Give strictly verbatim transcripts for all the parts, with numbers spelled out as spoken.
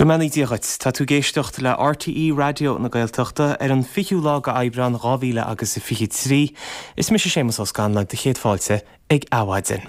Go mbeannaí Dia dhuit, tá tú ag éisteacht le RTÉ Raidió na Gaeltachta ar an fichiú lá de Aibreán dhá mhíle agus a fiche trí. Is mise Séamus Ó Scanláin do chéad fáilte ag Adhmhaidin.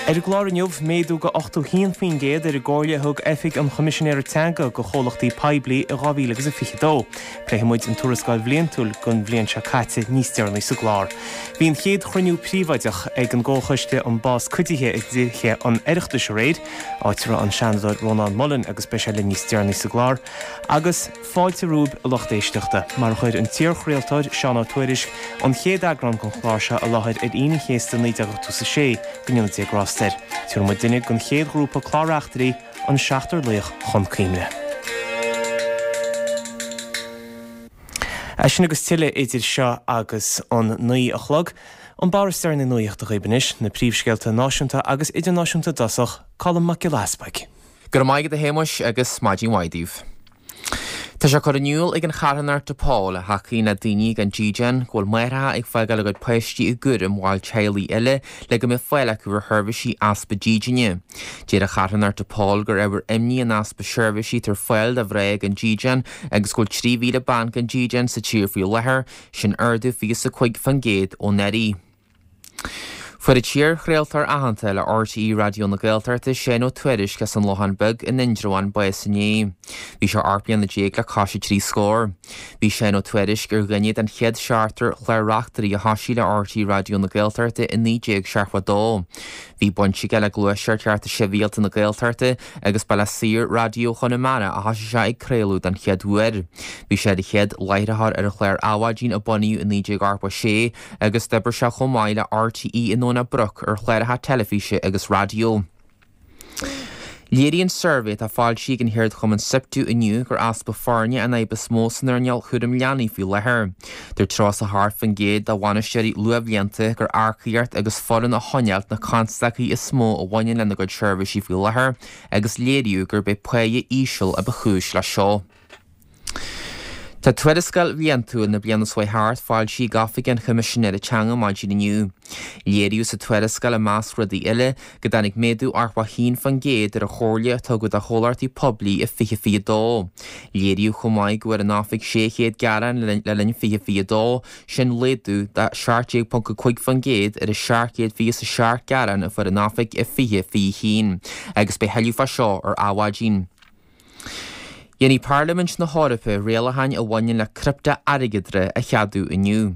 Ar an gclár inniu, méadú de ochtó haon faoin gcéad ar an gcomhairle a thug Oifig an Choimisinéara Teanga do chomhlachtaí poiblí i dhá mhíle agus a fiche dó. Pléifidh muid an tuarascáil bhliantúil don bhliain seo caite níos deireanaí sa gclár. Bhí an chéad chruinniú príobháideach ag an gComhchoiste um Bás Cuidithe i dTithe an Oireachtais aréir, áit a raibh an Seanadóir Rónán Mullen agus beidh sé linn níos deireanaí sa gclár. Agus fáilte romhaibh a lucht éisteachta, mar a chuir an t-iarchraoltóir Seán Ó Tuairisg an chéad eagrán den chlár seo i láthair ar Aoine an Chéasta naoi déag ochtó a sé, go ndéana Dia grásta air. Tabharfaidh muid duine den chéad ghrúpa clár-reachtairí, an Seachtar Laoch, chun cuimhne. É sin agus tuilleadh idir seo agus an naoi a chlog. An barr is deireanaí nuachta dhaoibh anois, na príomhscéalta náisiúnta agus idirnáisiúnta i dtosach, Colm Mac Giolla Easpaig. Go raibh maith agat a Shéamuis agus maidin mhaith daoibh. Tá sé curtha in iúl ag an charthanacht DePaul, a thacaíonn le daoine gan dídean, go bhfuil máithreacha ag fágáil a gcuid páistí i gcúram bhaill teaghlaigh eile le go mbeidh fáil acu ar sheirbhísí easpa dídine. Deir an charthanacht DePaul gur ábhar imní an easpa seirbhísí atá ar fáil do mhná gan dídean agus go bhfuil trí mhíle bean gan dídean sa tír faoi láthair, sin ardú fiche is a cúig faoin gcéad ó anuraidh. Fuair an t-iarchraoltóir aitheanta le RTÉ Raidió na Gaeltachta, Seán Ó Tuairisg as an Lochán Beag in Indreabhán bás inné. Bhí sé ocht mbliana déag le cois a trí scór. Bhí Seán Ó Tuairisg ar dhuine den chéad seachtar clár-reachtairí a thosaigh le RTÉ Raidió na Gaeltachta i naoi déag seachtó a dó. Bhí baint aige le Gluaiseacht Chearta Sibhialta na Gaeltachta agus ba le Saor-Raidió Chonamara a thosaigh sé ag craoladh den chéad uair. Bhí sé ar an chéad láithreoir ar an chlár Adhmhaidin a bunaíodh i naoi déag ochtó a sé agus d'oibrigh sé chomh maith le RTÉ i nDomhnach Broc ar chláracha teilifíse agus raidió. Léiríonn suirbhé atá foilsithe ag an cheardchumann SIPTU inniu gur easpa foirne an fhadhb is mó san earnáil chúram leanaí faoi láthair. Dúirt tríocha a hocht faoin gcéad de bhainisteoirí luathbhlianta gur earcaíocht agus foireann a choinneáilt na constaicí is mó a bhaineann lena gcuid seirbhísí faoi láthair agus léiríodh gurb é páighe íseal a ba chúis leis seo. Tá tuarascáil bhliantúil na bliana seo thart foilsithe ag Oifig an Choimisinéara Teanga maidin inniu. Léiríodh sa tuarascáil i measc rudaí eile go dtáinig méadú ochtó a haon faoin gcéad ar an chomhairle a tugadh do chomhlachtaí poiblí i fiche fiche dó. Léiríodh chomh maith go bhfuair an oifig sé chéad gearán le linn fiche fiche dó, sin laghdú de seacht déag ponc a cúig faoin gcéad ar an seacht gcéad fiche is a seacht gearán a fuair an oifig i fiche fiche haon. Agus beidh thuilleadh fá seo ar Adhmhaidin. Dhéanfaidh Parlaimint na hEorpa rialacháin a bhaineann le criptea-airgeadra a cheadú inniu.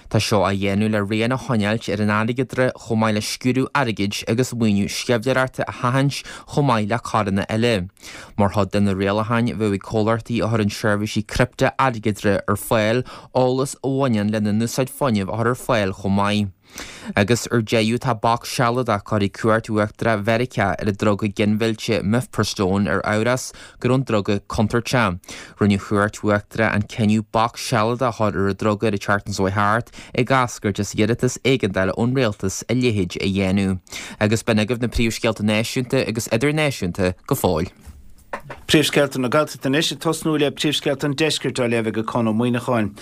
Tá seo á dhéanamh le rian a choinneáilt ar an airgeadra chomh maith le sciúradh airgid agus maoiniú sceimhlitheoireachta a sheachaint chomh maith le coireanna eile. Mar chuid de na rialacháin bheadh ag comhlachtaí a chuireann seirbhísí criptea-airgeadra ar fáil eolas a bhaineann lena n-úsáid fuinnimh a chur ar fáil chomh maith. Agus ar deireadh tá bac sealadach curtha ag Cúirt Uachtarach Mheiriceá ar an druga ginmhillte Mifepristone ar amhras go raibh an druga contúirteach. Rinne an Chúirt Uachtarach an cinneadh bac sealadach a chur ar an druga ar an tseachtain seo thart ag eascairt as iarratas éigeandála ón rialtas a leithéid a dhéanamh. Agus b'in agaibh na príomhscéalta náisiúnta agus idirnáisiúnta go fóill. Príomhscéalta na Gaeltachta anois, ag tosnú le príomhscéalta an Deiscirt á léamh ag Conn Ó Muíneacháin.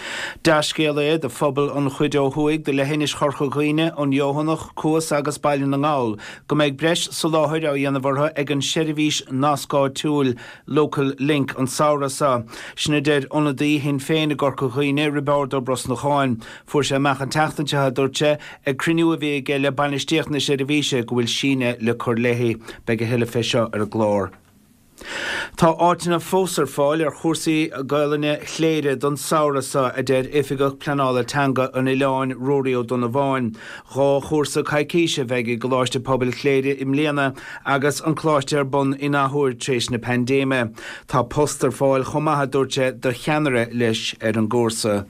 Dea-scéal é do phobal an chuid ó thuaidh de leithinis Chorca Dhuibhne, an Fheothanach, Cuas agus Baile na nGall go mbeidh breis soláthair á dhéanamh orthu ag an seirbhís nasc áitiúil Local Link an samhradh seo. Sin a deir ionadaí Shinn Féin i gCorca Dhuibhne, Roibeárd Ó Brosnacháin. Fuair sé amach an tseachtain seo, a dúirt sé, ag cruinniú a bhí aige le bainistíocht na seirbhíse go bhfuil síneadh le cur léi. Beidh a thuilleadh fé seo ar an gclár. Tá áiteanna fós ar fáil ar chúrsaí Gaelainne Chléire don samhradh seo, a deir Oifigeach Pleanála Teanga an oileáin, Ruairí Ó Donnabháin. Dhá chúrsa coicíse a bheidh i gColáiste Pobail Chléire i mbliana agus an coláiste ar bun in athuair tar éis na paindéime. Tá post ar fáil chomh maith, a dúirt sé, do cheannaire leis ar an gcúrsa.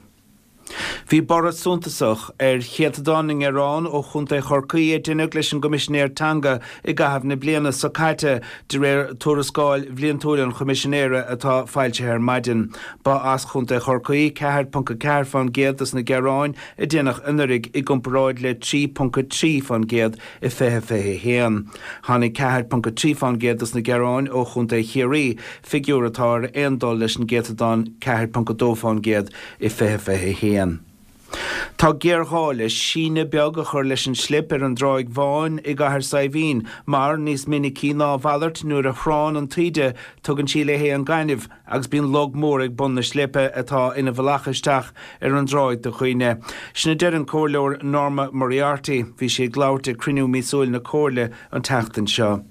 Bhí borradh suntasach ar chéatadán na ngearán ó Chontae Chorcaí a deineadh leis an gCoimisinéir Teanga i gcaitheamh na bliana seo caite, de réir tuarascáil bhliantúil an Choimisinéara atá foilsithe ar maidin. Ba as Chontae Chorcaí ceathair ponc a ceathair fán gcéad dos na gearáin a deineadh anuraidh i gcomparáid le trí ponc a trí fán gcéad i fiche fiche a haon. Tháinig ceathair ponc a trí fán gcéad dos na gearáin ó Chontae Chiarraí, figiúr atá ar aon dul leis an gcéatadán ceathair ponc a dó fán gcéad i fiche fiche a haon. Tá géarghá le síneadh beag a chur leis an slip ar an dTráigh Bháin i gCathair Saidhbhín, mar níos minicí ná a mhalairt nuair a thránn an taoide tugann sí léi an gaineamh agus bíonn log mór ag bun na slipe atá ina bhealach isteach ar an dtráigh do dhaoine. Sin a deir an Comhairleoir Norma Moriarty. Bhí sí ag labhairt ag cruinniú míosúil na Comhairle an tseachtain seo.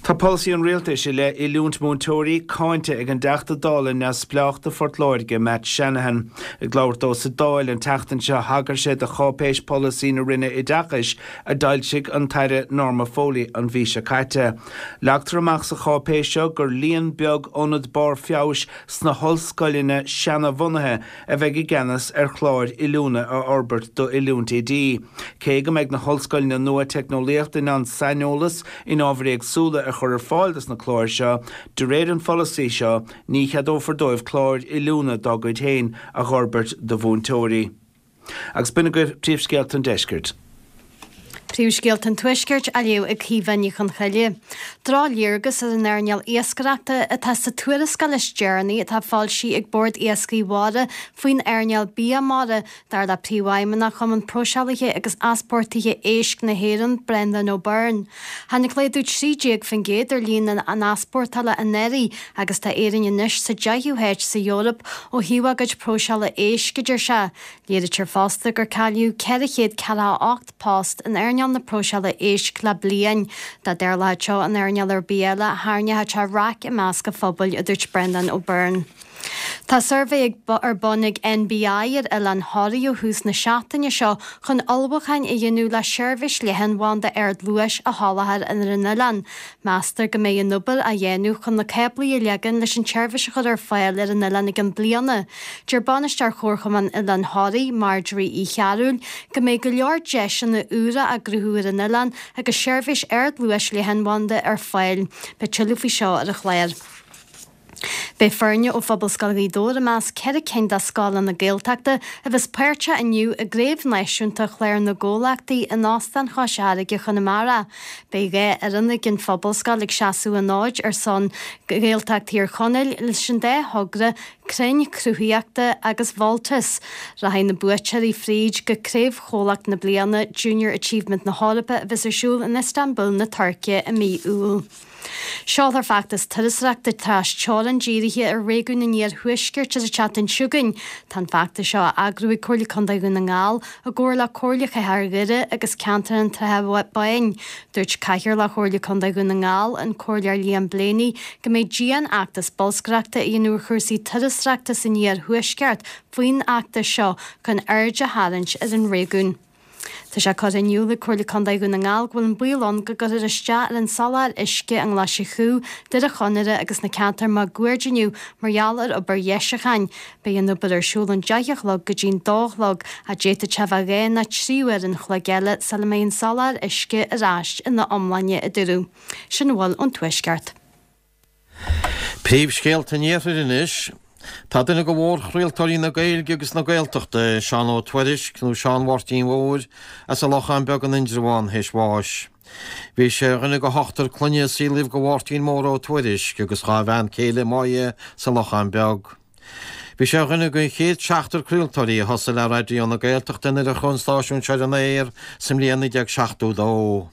Tá polasaí an rialtais i leith oiliúint múinteoirí cáinte ag an dTeachta Dála neamhspleách do Phort Láirge, Matt Shanahan. Ag labhairt dó sa Dáil an tseachtain seo thagair sé do cháipéis polasaí na Roinne Oideachais a d'fhoilsigh an tAire Norma Foley an mhí seo caite. Leagtar amach sa cháipéis seo gur líon beag ionad barr feabhais sna hollscoileanna seanabhunaithe a bheidh i gceannas ar chláir oiliúna a fhorbairt d'oiliúint oidí. Cé go mbeidh na hollscoileanna nua teicneolaíochta in ann saineolas in ábhair éagsúla a chur ar fáil dos na cláir seo, de réir an pholasaí seo, ní cheadófar dóibh cláir oiliúna dá gcuid féin a dh'fhorbairt do mhúinteoirí. Agus b'in agaibh príomhscéalta an deiscirt. Príomhscéalta an Tuaiscirt á léamh ag Caoimhe Ní Chonchoille. Drochléargas ar an earnáil iascaireachta atá sa tuarascáil is deireanaí atá foilsithe ag Bord Iascaigh Mhara faoin earnáil bia mara, dar le Príomhfheidhmeannach Chumann Próiseálaithe agus Easpórtálaithe Éisc na hÉireann, Brendan O'Byrne. Tháinig laghdú trí déag faoin gcéad ar líon na n-easpórtálacha anuraidh agus tá Éirinn anois sa deichiú háit sa Eoraip ó thaobh a gcuid próiseála éisc, a deir sé. Léirítear fosta gur cailleadh ceithre chéad ceathracha ocht post in earnáil na próiseála éisc le bliain. Dá dtarlódh seo in earnáil ar bith eile, tharraingeodh sé raic i measc an phobail, a dúirt Brendan O'Byrne. Tá suirbhé ar bun ag NBI ar Oileán Thoraí ó thús na seachtaine seo chun ullmhúcháin a dhéanamh le seirbhís leathanbhanda ardluais a sholáthar ar an oileán. Meastar go mbeidh an obair á dhéanamh chun na cáblaí a leagan leis an tseirbhís a chur ar fáil ar an oileán i gceann bliana. Deir Bainisteoir Chomharchumann Oileán Thoraí, Marjorie Uí Chearúil, go mbeidh go leor deiseanna úra á gcruthú ar an oileán agus seirbhís ardluais leathanbhanda ar fáil. Beidh tuilleadh faoi seo ar an chlár. Beidh foirne ó Phobalscoil Ghaoth Dobhair i measc ceithre cinn de scoileanna Gaeltachta a bheas páirteach inniu i gCraobh Náisiúnta Chlár na gComhlachtaí in Óstán Chois Fharraige, Chonamara. Beidh dhá fhoireann ag an Phobalscoil ag seasamh an fhóid ar son Ghaeltacht Thír Chonaill leis an dá thogra Crainn Cruthaíochta agus Voltas. Rachaidh na buaiteoirí fríd go Craobh Chomhlacht na Bliana Junior Achievement na hEorpa a bheas ar siúl in Istanbul na Tuirce i mí Iúil. Seolfar feachtas turasóireachta trasteorann dírithe ar réigiún an Iarthuaiscirt ar an tseachtain seo chugainn. Tá an feachtas seo á eagrú ag Comhairle Contae Dhún na nGall i gcomhar le Comhairle Chathair Dhoire agus Ceantar an tSratha Báin. Dúirt Cathaoirleach Chomhairle Contae Dhún na nGall, an Comhairleoir Liam Blaney, go mbeidh dian-fheachtas bolscaireachta a dhéanamh ar chúrsaí turasóireachta san Iarthuaisceart faoin fheachtas seo chun aird a tharraingt ar an réigiún. Tá sé curtha in iúl ag Comhairle Contae Dhún na nGall go bhfuil an baol ann go gcuirfear isteach ar an soláthar uisce i nGlais an Chú, Doire Chonaire agus na ceantair máguaird inniu mar gheall ar obair dheisiúcháin. Beidh an obair ar siúl ón deich a chlog go dtí'n dó a chlog ach d'fhéadfadh sé bheith dhá nó trí uair an chloig eile sula mbeidh an soláthar uisce ar ais ina iomláine, a dúradh. Sin a bhfuil ón Tuaisceart. Príomhscéalta an Iarthair anois. Tá duine de mhórchraoltóirí na Gaeilge agus na Gaeltachta, Seán Ó Tuairisg, nó Seán Mháirtín Mhóir, as an Lochán Beag in Indreabhán, théis bháis. Bhí sé ar dhuine de hochtar clainne a saolaíodh do Mháirtín Mór Ó Tuairisg agus dhá bhean chéile, Máire, sa Lochán Beag. Bhí sé ar dhuine den chéad seachtar craoltóirí a thosaigh le Raidió na Gaeltachta nuair a chuaigh an stáisiún seo ar an aer sa mbliain naoi déag seachtó dó.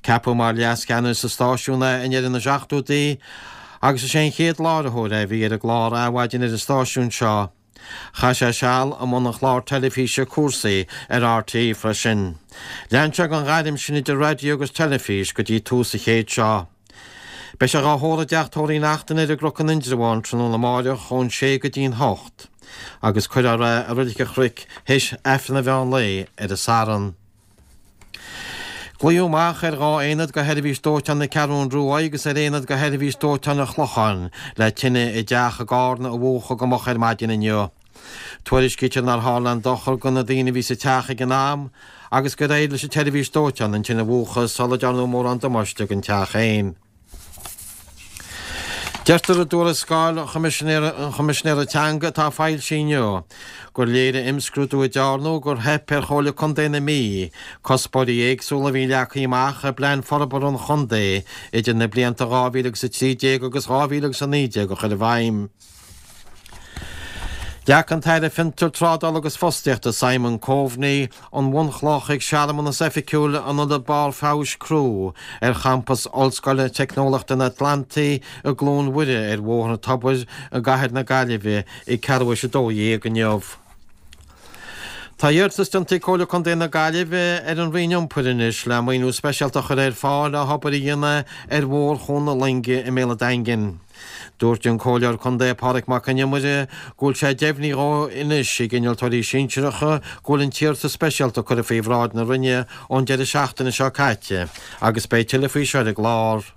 Ceapadh mar leascheannaire sa stáisiún é i ndeireadh na seachtóidí agus is é an chéad láithreoir é a bhí ar an gclár Adhmhaidin ar an stáisiún seo. Chaith sé seal i mbun an chláir teilifíse Cúrsaí ar RTÉ freisin. Lean sé den ghairm sin idir raidió agus teilifís go dtí tús an chéid seo. Beidh sé dhá thórramh i dteach tórraimh Uí Neachtain ar an gCnoc in Indreabhán tráthnóna amáireach ón sé go dtí'n hocht agus cuirfear é i Reilig an Chnoic théis Aifreann an mheán lae ar an Satharn. Glaodh amach ar dhá aonad de Sheirbhís Dóiteáin na Ceathrún Rua agus ar aonad de Sheirbhís Dóiteáin an Chlocháin le tine i dteach i gCarna a mhúchadh go moch ar maidin inniu. Tuairiscítear nár tharla aon dochar do na daoine a bhí sa teach ag an am agus gur éirigh leis an tseirbhís dóiteáin an tine a mhúchadh sula ndearnadh mórán damáiste don teach féin. Deirtear i dtuarascáil an Choimisinéara Teanga atá foilsithe inniu gur léirigh imscrúdú a dearnadh gur theip ar Chomhairle Contae na Mí cuspóirí éagsúla a bhí leagtha amach i bPlean Forbartha an Chontae idir na blianta dhá mhíle agus a trí déag agus dhá mhíle agus a naoi déag a chur i bhfeidhm. Leag an tAire Fiontar, Trádála agus Fostaíochta Simon Coveney an bhunchloch ag searmanas oifigiúil an Ionaid Barr Feabhais Criú ar champas Ollscoile Teicneolaíochta an Atlantaigh i gCluain Mhuire ar Bhóthar an Tobair i gcathair na Gaillimhe ag ceathrú théis a dó dhéag inniu. Tá iarratas déanta ag Comhairle Contae na Gaillimhe ar an Roinn Iompair anois le maoiniú speisialta a chur ar fáil le hobair a dhéanamh ar Mhórchuan na Loinge i mBéal an Daingin. Dúirt an Comhairleoir Contae Pádraig Mac Con Iomaire go bhfuil sé deimhnithe anois ag innealtóirí sinsearacha go bhfuil an t-iarratas speisialta curtha faoi bhráid na Roinne ón deireadh seachtaine seo caite agus beidh tuilleadh faoi seo ar an gclár.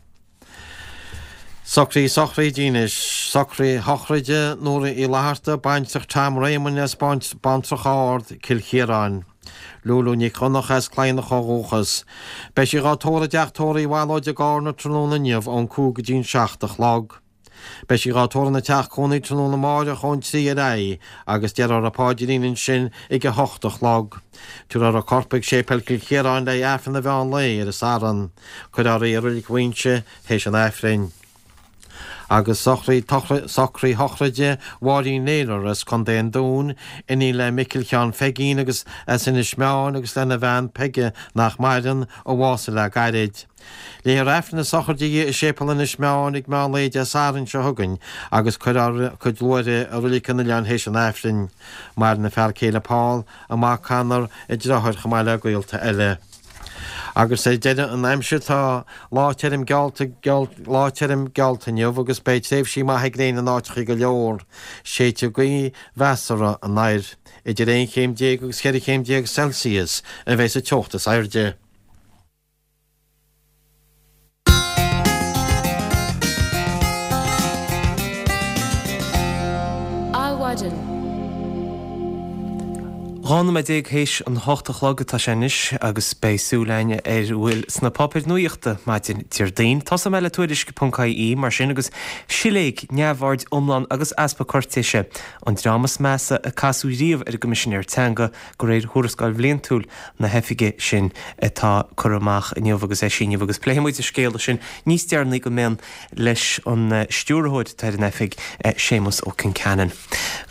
Socruithe sochraide anois, socraí sochraide Nóra Uí Fhlatharta, baintreach Tom Réamoinn as Baintreach Ard, Cill Chiaráin. Lúlú Nic Dhonncha as Cladhnach ó dhúchas. Beidh sí dhá tórramh i dteach tórraimh Uí Bhallóid i gCarna tráthnóna inniu ón cúig go dtí an seacht a chlog. Beidh sí dhá tórramh ina teach cónaí tráthnóna amáireach ón trí ar aghaidh agus déarfar an paidrín ansin ag a hocht a chlog. Tabharfar a corp ag Séipéal Chill Chiaráin le Aifreann an mheán lae ar an Satharn. Cuirfear í i Reilig Mhuighinse théis an Aifrinn. Agus socraí sochraide Mháirín Naylor as Contae an Dúin, iníon le Micil Sheáin Pheigín agus as Inis Meáin agus lena bhean Peige nach maireann, a bhásaigh le gairid. Léifear Aifreann na sochraide di i Séipéal Inis Meáin ag meán lae Dé Sathairn seo chugainn agus cuirfear cuid luaithre i Reilig an Oileáin théis an Aifrinn. Maireann a fear céile Paul, a mac Conor, a deartháir chomh maith le gaolta eile. Agus ar deireadh an aimsir tá lá tirim geallta lá tirim geallta inniu agus beidh tréimhsí maithe gréine in áiteacha go leor. Séidfidh gaoth mheasartha anoir. Idir aon chéim déag agus cheithre chéim déag Celsius a bheidh sa teocht is airde. Adhmhaidin. Dhá nóiméad déag théis an hocht a chlog atá sé anois agus beidh súil againn ar a bhfuil sna páipéir nuachta maidin Déardaoin. Tosóidh mé le Tuairisc ponc ie mar sin agus siléig, neamhaird iomlán agus easpa cúirtéise, an dream is measa a casadh riamh ar an gCoimisinéir Teanga de réir thuarascáil bhliantúil na hoifige sin atá curtha amach inniu agus eisithe inniu agus pléifidh muid an scéala sin níos deireanaí go mion leis an stiúrthóir atá ar an oifig, Séamus Ó Concheanainn.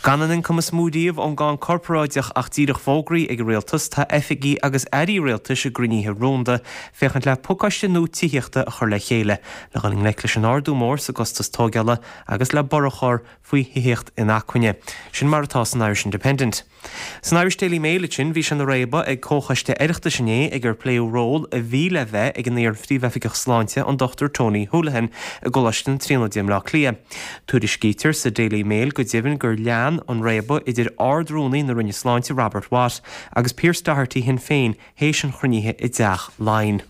Gan an ioncam is mó riamh ón gcáin corparáideach ach díreach fógraithe ag an rialtas, tá oifigí agus airí rialtais i gcruinnithe rúnda féachaint le pacáiste nua tithíochta a chur le chéile le dhul i ngleic leis an ardú mór sa gcostas tógála agus le borradh a chur faoi thithíocht inacmhainne. Sin mar atá san Irish Independent. San Irish Daily Mail ansin, bhí sé ina réabadh ag comhchoiste Oireachtais inné ag ar pléadh ról a bhí le bheith ag an iar-phríomhoifigeach sláinte, an Dochtúir Tony Holohan, i gColáiste na Tríonóide i mBleá Cliath. Tuairiscítear sa Daily Mail go deimhin gur lean an réabadh idir Ard-Rúnaí na Roinne Sláinte Robert Watt agus Pearse Doherty Shinn Féin théis an chruinnithe i dTeach Laighean.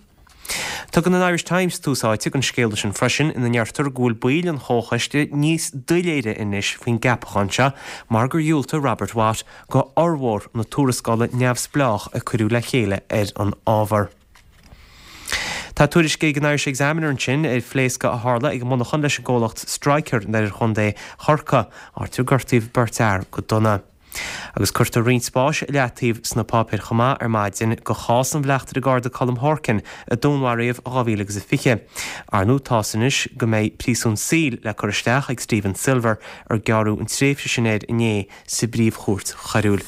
Tugann an Irish Times tús áite don scéala sin freisin, ina ndeirtear go bhfuil baill an chomhchoiste níos doiléire anois faoin gceapachán seo mar gur dhiúltaigh Robert Watt go fhormhór na tuarascála neamhspleách a cuireadh le chéile ar an ábhar. Tá tuairisc ag an Irish Examiner ansin ar phléascadh a tharla ag monarchan leis an gcomhlacht Stryker in oirthear chontae Chorcaí, áit ar gortaíodh beirt fhear go dona. Agus cuirtear roinnt spáis i leataobh sna páipéir chomh maith ar maidin do chás an Bhleachtaire Garda Colm Horkan a dúnmharaíodh i dhá mhíle agus a fiche. Ar ndóigh tá's anois go mbeidh príosún saoil le cur isteach ag Stephen Silver ar gearradh an tréimhse sin air inné sa bPríomh-Chúirt Choiriúil.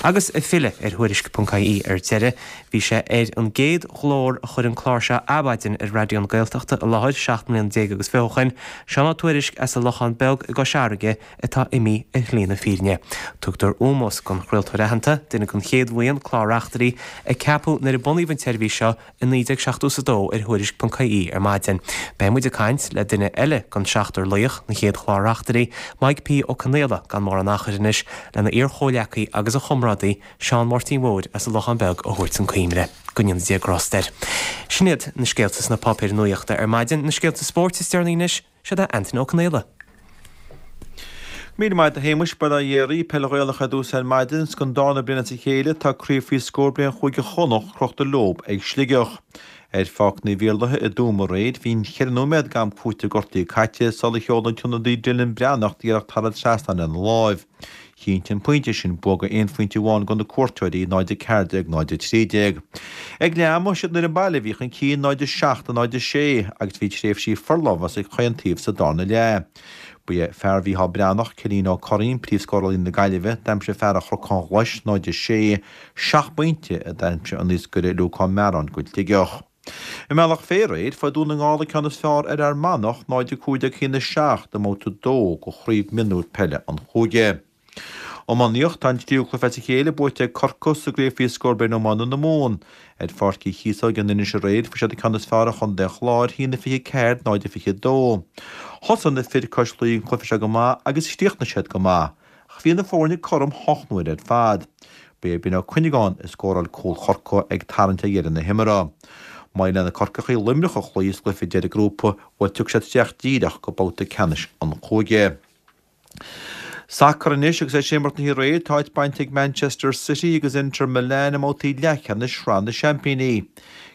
Agus ag filleadh ar Thuairisc ponc ie ar deireadh, bhí sé ar an gcéad ghlór a chuir an clár seo Adhmhaidin ar Raidió na Gaeltachta i láthair seacht mbliana déag agus fiche ó shoin, Seán Ó Tuairisg as an Lochán Beag i gCois Fharraige, atá imithe ar shlí na fírinne. Tugtar ómós don chraoltóir aitheanta, duine den chéad bhuíon clár-reachtairí a ceapadh nuair a bunaíodh an tseirbhís seo i naoi déag seachtó is a dó ar Thuairisc ponc ie ar maidin. Beidh muid ag caint le duine eile den seachtar laoch, na chéad chlár-reachtairí, Maidhc P. Ó Conaola, gan mórán achair anois, lena iar-chomhleacaí agus a chomrádaí, Seán Máirtín Mhóir as an Lochán Beag a thabhairt chun cuimhne. Go ndéana Dia grást air. Sin iad na scéalta sna páipéir nuachta ar maidin. Na scéalta spóirt is deireanaí anois, siod é Antaine Ó Conaola. Míle maith agat a Shéamuis, Bail ó Dhia oraibh, Peil Ghaelach ar dtús ar maidin, 's don darna bliain as a chéile tá craobh faoi scór bliain Chúige Chonnacht crochta leob ag Sligeach. Ar Pháirc Naomh Iarlaithe i dTuaim aréir, bhí an cheithre nóiméad d'am cúitimh gortaithe caite sular sheol an t-ionadaí Dylan Breathnach iarracht thar an trasnán lena láimh. Chinntigh an pointe sin bua de aon phointe amháin do na cuairteoirí, náid a ceathair déag, náid a trí déag. Ag leath ama, siad an fhoireann baile a bhí chun cinn, náid a seacht, náid a sé, agus bhí tréimhsí forlámhas ag chaon taobh sa darna leath. Ba é fear Mhícheál Breathnach, Cillian Ó Curraoin, príomhscórálaí na Gaillimhe, d'aimsigh fear an Chnocáin Ghlais náid a sé, seacht bpointe a d'aimsigh an naoscaire Luca Mearáin go Sligeach. I mBealach Féich aréir, fuair Dún na nGall an ceann is fearr ar Fhear Manach, náid a cúig déag a haon a seacht i mbabhta a dó de Chraobh Mionúir Peile an Chúige. Iománaíocht, Tá an tríú cluiche as a chéile buaite ag Corcaigh sa gcraobh faoi scór bliain iomána na Mumhan. Ar Pháirc Uí Chíosóg in Inis aréir, fuair siad an ceann is fearr ar chontae an Chláir, a haon a fiche a ceathair, náid a fiche a dó. Thosaigh na fir cois Laoi an cluiche seo go maith agus chríochnaigh siad go maith, ach bhí na foirne cothrom hocht n-uaire ar fad. Ba é Ben Ó Cuinneagáin a scóráil cúl Chorcaí ag tarraingt ar dheireadh na himeartha. Má éiríonn le na Corcaígh Luimneach a chloí sa gcluiche deiridh grúpa, bhuel tiocfaidh siad isteach díreach go babhta ceannais an chúige. Sacar anois agus é ag imirt na haréir, tá áit bainte ag Manchester City agus Inter Milan i mbabhtaí leathcheannais Shraith na Seaimpíní.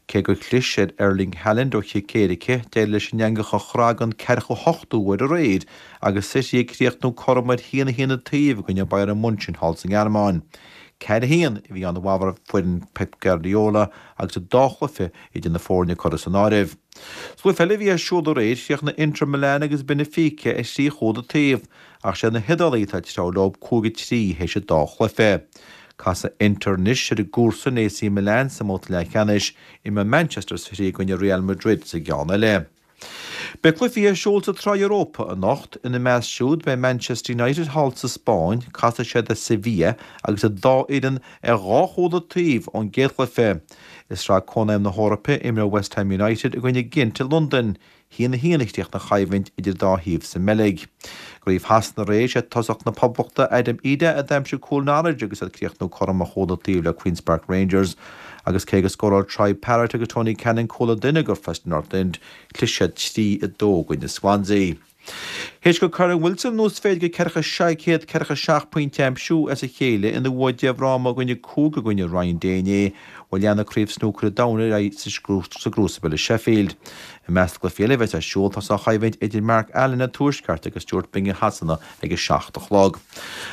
Cé gur chlis ar Erling Haaland ó chic éirice, d'éirigh leis an eangach a chrá don ceathracha hochtú huair aréir agus City ag críochnú cothrom ar haon a haon an taobh i gcoinne Bayern Munchen thall sa nGearmáin. Ceathair a haon a bhí ann i bhfabhar foireann Pep Guardiola agus an dá chluiche idir na foirne curtha san áireamh. Sa gcluiche eile a bhí ar siúl aréir, chríochnaigh Inter Milan agus Benfica ar thrí chúl an taobh, ach sé na hIodálaigh atá ag treabhadh leo cúig a trí théis an dá chluiche. Casfaidh Inter anois ar a gcomharsain A C Milan sa mbabhta leathcheannais, imreoidh Manchester City i gcoinne Real Madrid sa gceann eile. Beidh cluichí ar siúl sa tSraith Europa anocht, ina measc siúd beidh Manchester United thall sa Spáinn, casfaidh siad ar Sevilla agus an dá fhoireann ar dhá chúl an taobh ón gcéad chluiche. I Sraith Cónaidhm na hEorpa, imreoidh West Ham United i gcoinne Gent i Londain. Haon a haon a chríochnaigh an choimhlint idir an dá thaobh sa mBeilg. I gCraobh Shasana aréir, sé tosach na Poblachta Adam Idah a d'aimsigh cúl Norwich agus iad ag críochnú cothrom ar chúl an taobh le Queens Park Rangers agus cé go scóráil Troy Parrott agus Tony Cannon cúl an duine do Preston North End, chlis siad trí a dó i gcoinne Swansea. Théis do Kyren Wilson an uasmhéid de ceathracha sé céad ceathracha seacht pointe a aimsiú as a chéile ina bhua deich bhfráma i gcoinne cúig i gcoinne Ryan Day inné, bhuel leanfaidh Craobh Snúcair an Domhain ar aghaidh sa gCrucible i Sheffield. I measc na gcluichí eile a bheas ar siúl tá an choimhlint idir Mark Allen an Tuaisceart agus Stuart Bingham Shasana ag a seacht a chlog.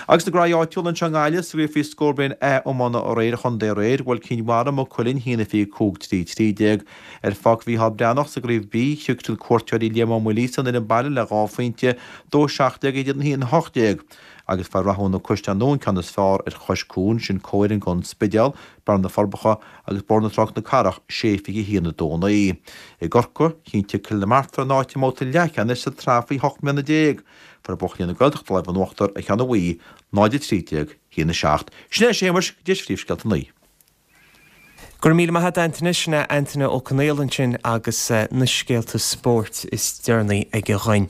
Agus na graí áitiúla anseo i nGaillimh sa gcraobh faoi scór bliain A iomána aréir an chontae aréir, bhuail Cinn Mhara Maigh Cuilinn a haon a fiche a cúig trí trí déag. Ar Pháirc Mhícheál Breathnach sa gcraobh B, shroich cuairteoirí Liam Ó Maoilíosa an fhoireann baile le dhá phointe, dó seacht déag a haon hocht déag, agus fuair Rathún na Caisleáin Nua an ceann is fearr ar Chois Cuain, sin comhfhoireann gon Spidéal, Bearna Forbacha agus Bóthar na Trá na Cathrach, sé fiche haon a dó naoi. I gCorcaigh, chinntigh Cill na Martra a n-áit i mbabhta leathcheannais sa tsraith faoi hocht mbliana déag. Fuair buachaillí na Gaeltachta lámh in uachtar ar Cheann an Mhaí, náid a trí déag, haon a seacht. Sin é a Shéamais, go dtí phríomhscéalta a naoi. Go raibh míle maith agat Antaine, sin é Antaine Ó Conaola ansin agus na scéalta spóirt is deireanaí aige dhuinn.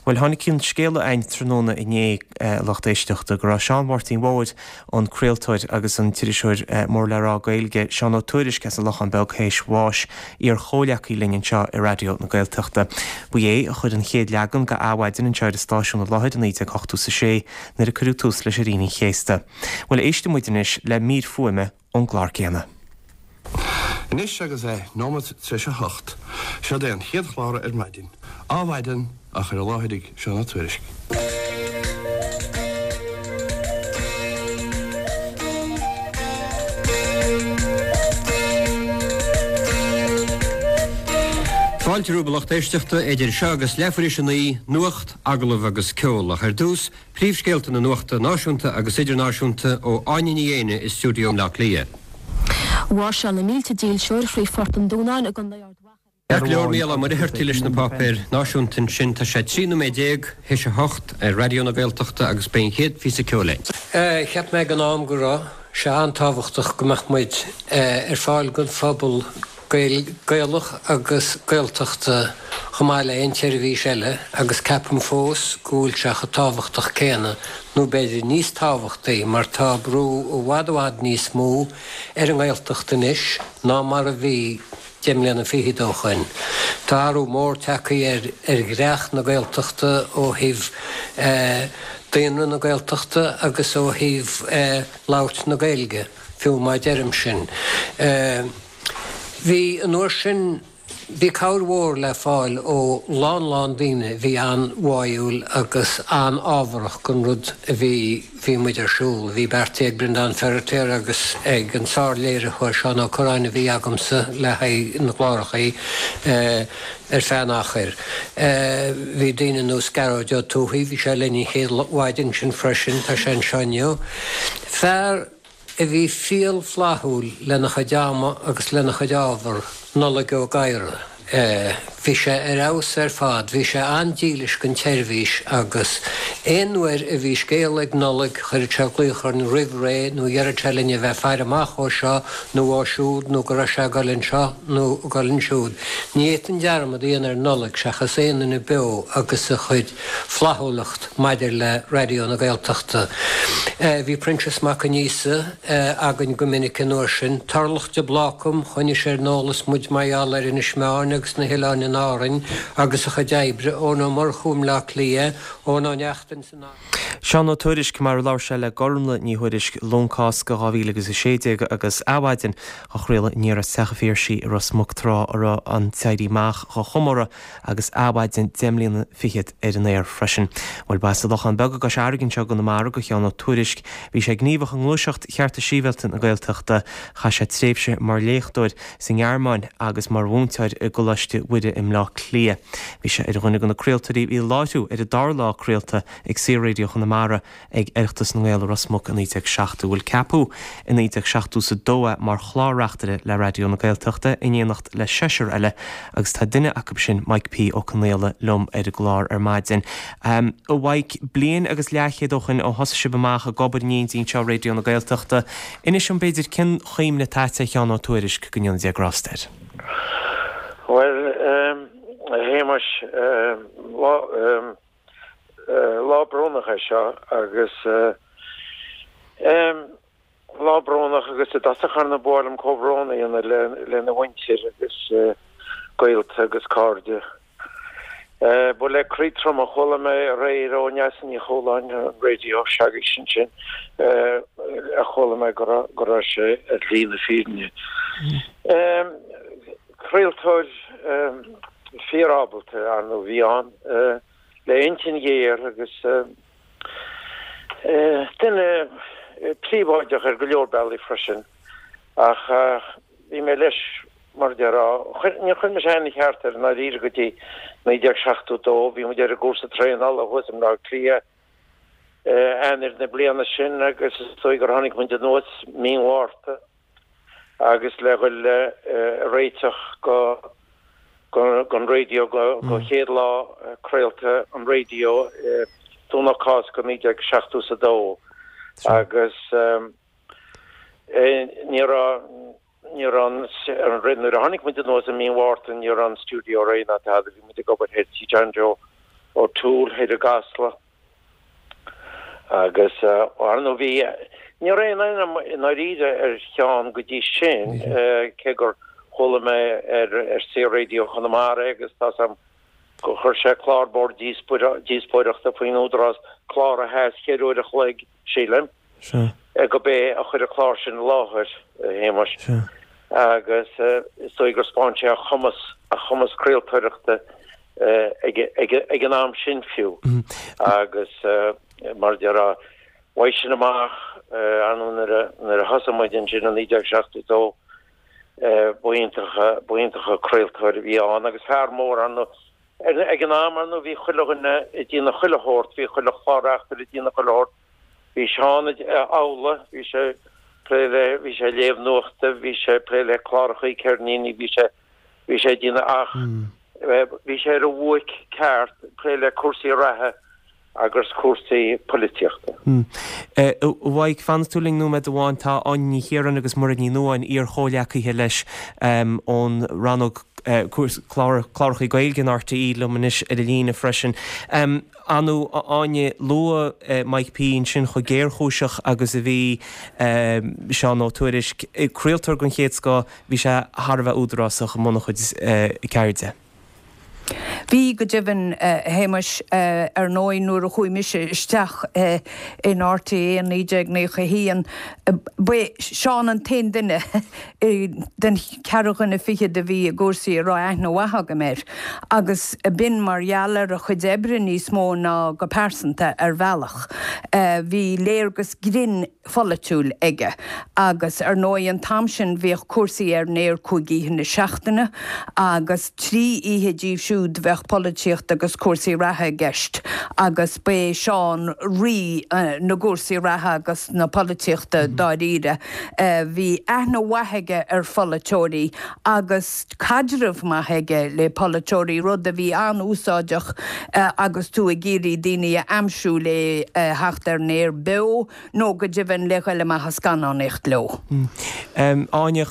Bhuel tháinig an scéala againn tráthnóna inné a lucht éisteachta go raibh Seán Mháirtín Mhóir, an craoltóir agus an t-iriseoir mór le rá Gaeilge Seán Ó Tuairisg as an Lochán Beag théis bháis, iar-chomhleacaí linn anseo i Raidió na Gaeltachta. Ba é a chuir an chéad leagan de Adhmhaidin anseo ar an stáisiún i láthair i naoi déag ochtó is a sé nuair a cuireadh tús leis ar Aoine an Chéasta. Bhuel éistfidh muid anois le mír fuaime ón gclár céanna. Anois agus é nóiméad tar éis a hocht, seod é an chéad chlár ar maidin, Adhmhaidin, á chur i láthair ag Seán Ó Tuairisg. Fáilte romhaibh a lucht éisteachta, idir seo agus leathuair théis a naoi, nuacht, agallamh agus ceol, ach ar dtús, príomhscéalta na nuachta náisiúnta agus idirnáisiúnta ó Áine Ní Éanna i stiúideo Bhaile Átha Cliath. Mháirseáil na mílte dílseoir thrí Phort an Dúnáin i gContae Ard Mhacha. Ceart go leor, Mícheál Ó Muircheartaigh leis na páipéir náisiúnta ansin. Tá sé trí nóiméad déag théis a hocht ar Raidió na Gaeltachta agus beidh an chéad phíosa ceoil againn. Cheap mé ag an am go raibh sé an-tábhachtach go mbeadh muid ar fáil don phobal Gaelach agus Gaeltachta chomh maith le aon tseirbhís eile agus ceapaim fós go bhfuil sé chomh tábhachtach céanna nó b'fhéidir níos tábhachtaí mar tá brú i bhfad i bhfad níos mó ar an nGaeltacht anois ná mar a bhí deich mbliana fichead ó shoin. Tá athrú mór tagtha ar ar dhreach na Gaeltachta ó thaobh daonra na Gaeltachta agus ó thaobh labhairt na Gaeilge, fiú má deirim sin. Bhí an uair sin Bhí cabhair mhór le fáil ó lán lán daoine a bhí an-bháúil agus an-ábharach don rud a bhí bhí muid ar siúl. Bhí beartaithe ag Breandán Feiritéar agus ag an sár-léiritheoir Seán Ó Cuirreáin a bhí agamsa le haghaidh na gclárachaí ar feadh an achair. Bhí daoine ar nós Gearóid Ó Tuathaigh, bhí sé linn an chéad mhaidin sin freisin, tá sé anseo inniu. Fear a bhí fial flaithiúil lena chuid ama agus lena chuid ábhar, Nollaig Ó Gadhra. Bhí sé ar fheabhas ar fad, bhí sé an-dílis don tseirbhís agus aon uair a bhí scéal ag Nollaig chuireadh sé glaoch orainn roimh ré nó dheireadh sé linn a bheith ag faire amach ó seo nó ó siúd nó go raibh sé ag dul anseo nó ag dul ansiúd. Ní fhéadfainn dearmad a dhéanamh ar Nollaig seachas aon duine beo agus a chuid flaithiúlacht maidir le Raidió na Gaeltachta. Bhí Proinsias Mac Aonghusa againn go minic an uair sin. Tarlach de Blácam, choinnigh sé ar an eolas muid mar gheall ar Inis Meáin agus na hoileáin in Árainn agus a chuid oibre, Eoin Ó Murchú i mBleá Cliath, Eoin Ó Neachtain san. Seán Ó Tuairisg, mar a labhair sé le Gormlaith Ní Thuairisg, Luan Cásca dhá mhíle agus a sé déag agus Adhmhaidin á chraoladh aniar as Teach an Phiarsaigh i Ros Muc tráth a raibh an tÉirí Amach dhá chomóradh agus Adhmhaidin deich mbliana fichead ar an aer freisin. Bhuel, ba as an Lochán Beag i gCois Fharraige anseo i gConamara do Sheán Ó Tuairisg. Bhí sé gníomhach i ngluaiseacht chearta sibhialta na Gaeltachta. Chaith sé tréimhse mar léachtóir sa nGearmáin agus mar mhúinteoir i gColáiste Mhuire i mBleá Cliath. Bhí sé ar dhuine de na craoltóirí a bhí i láithriú ar an dara lá craolta ag Saor-Raidió Chonamara ag Oireachtas na nGael i Ros Muc i naoi déag seachtó. Bhuel, ceapadh i naoi déag seachtó is a dó é mar chlár-reachtaire le Raidió na Gaeltachta in éineacht le seisear eile agus tá duine acu sin, Mike P. Ó Conaola, liom ar an gclár ar maidin. A Mhaidhc, bliain agus leathchéad ó shoin ó thosaigh sibh amach ag obair in éindí anseo i Raidió na Gaeltachta, inis dom b'fhéidir cén chuimhne atá agat ar Sheán Ó Tuairisg, go ndéana Dia grásta air. Bhuel, a Shéamais, lá, lá brónach é seo agus lá brónach agus i dtosach ar ndóigh ba mhaith liom comhbhrón a dhéanamh lena mhuintir agus gaolta agus cairde. Ba le croí trom a chuala mé aréir ó Neasa Ní Chualáin ar an raidió s'agaibhse ansin a chuala mé go raibh sé ar shlí na fírinne. Craoltóir fíor-ábalta, ar ndóigh, a bhí ann, le intinn ghéar agus duine príobháideach ar go leor bealaí freisin ach bhí mé leis mar a déarfá. Níor chuir mise aithne cheart air i ndáiríre go dtí naoi déag seachtó dó. Bhí muid ar an gcúrsa traenála thuas i mBleá Cliath Eanáir na bliana sin agus is dóigh gur tháinig muid anuas mí an Mhárta agus le dhul ag réiteach go don raidió go chéad lá craolta an raidió Domhnach Cásca naoi déag seachtó is a dó agus ní raibh ní raibh an nuair a tháinig muid anuas i mí an Mhárta ní raibh an stiúideo réidh ná tada bhí muid ag obair thoir tí John Joe O'Toole thoir i gCasla agus ar ndóigh bhí ní raibh aon aithne i ndáiríre ar Sheán go dtí sin cé gur chuala mé ar ar Saor-Raidió Chonamara agus tá 's a'm gur chuir sé clár bord díospóireachta faoin Údarás, clár a sheas cheithre uair a chloig, sílim, gurb é a chuir an clár sin i láthair, a Shéamais, agus is dóigh gur 'spáin sé a chumas, a chumas craoltóireachta ag an am sin fiú agus mar a déarfá, uaidh sin amach, ar ndóigh nuair a thosaigh muid ansin i naoi déag seachtó dó, Ba iontach, ba iontach an craoltóir a bhí ann agus fear mór ar ndóigh. Ag an am, ar ndóigh, bhí chuile dhuine ag déanamh chuile shórt, bhí chuile chlár-reachtaire ag déanamh chuile shórt. Bhí Seán amhlaidh, bhí sé ag plé le, bhí sé ag léamh nuachta, bhí sé ag plé le clárachaí ceirníní, bhí sé, bhí sé ag déanamh ach bhí sé ar a bhuaic ceart ag plé le cúrsaí reatha agus cúrsaí polaitíochta. A Mhaidhc, fanfaidh tú linn nóiméad amháin. Tá Áine Ní Chiaráin agus Muiread Ní Nuadháin, iar-chomhghleacaithe leis ón rannóg cláracha Gaeilge in RTÉ liom anois ar an líne freisin. Ar ndóigh, a Áine, luaigh Mike P ansin chomh géarchúiseach agus a bhí Seán Ó Tuairisg. Craoltóir den chéad scoth, bhí sé thar a bheith údarásach i mbun a chuid ceirde. Bhí go deimhin, a Shéamais, ar ndóigh nuair a chuaigh mise isteach in RTÉ in naoi déag naocha a haon, ba é Seán an t-aon duine den cheathrú dhuine fichead a bhí i gcúrsaí a raibh aithne mhaith agam air agus b'in mar gheall ar a chuid oibre níos mó ná go pearsanta ar bhealach. Bhí léargas grinn pholaitiúil aige agus ar ndóigh an t-am sin bhíodh cúrsaí ar an aer cúig oíche na seachtaine agus trí oíche díobh siúd bheadh polaitíocht agus cúrsaí reatha i gceist agus ba é Seán rí na gcúrsaí reatha agus na polaitíochta dáiríre. Bhí aithne mhaith aige ar pholaiteoirí agus caidreamh maith aige le polaiteoirí, rud a bhí an-úsáideach agus tú ag iarraidh daoine a aimsiú le theacht ar an aer beo nó go deimhin le ghoil amach ag scannánaíocht leo. Áine,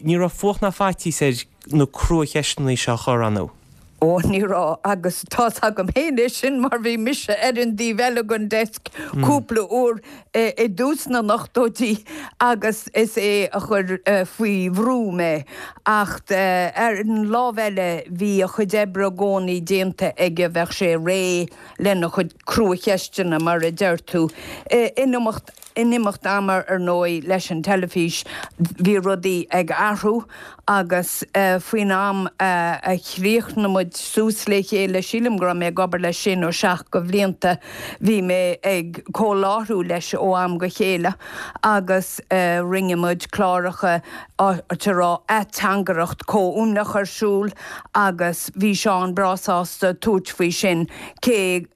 ní raibh fuacht ná faitíos air na cruacheisteanna seo a chur, an raibh? Ó, ní raibh, agus tá's agam féin é sin mar bhí mise ar an dtaobh eile den desk cúpla uair i dtús na n-ochtóidí agus is é a chuir faoi bhrú mé. Ach ar an lámh eile bhí a chuid oibre i gcónaí déanta aige, bheadh sé réidh lena chuid cruacheisteanna, mar a deir tú. In imeacht In imeacht ama, ar ndóigh, leis an teilifís, bhí rudaí ag athrú agus faoin am a chríochnaigh muid suas le chéile, sílim go raibh mé ag obair leis sé nó seacht de bhlianta, bhí mé ag comhláithriú leis ó am go chéile agus rinne muid cláracha áit a raibh ateangaireacht comhuaineach ar siúl agus bhí Seán breá sásta tabhairt faoi sin, cé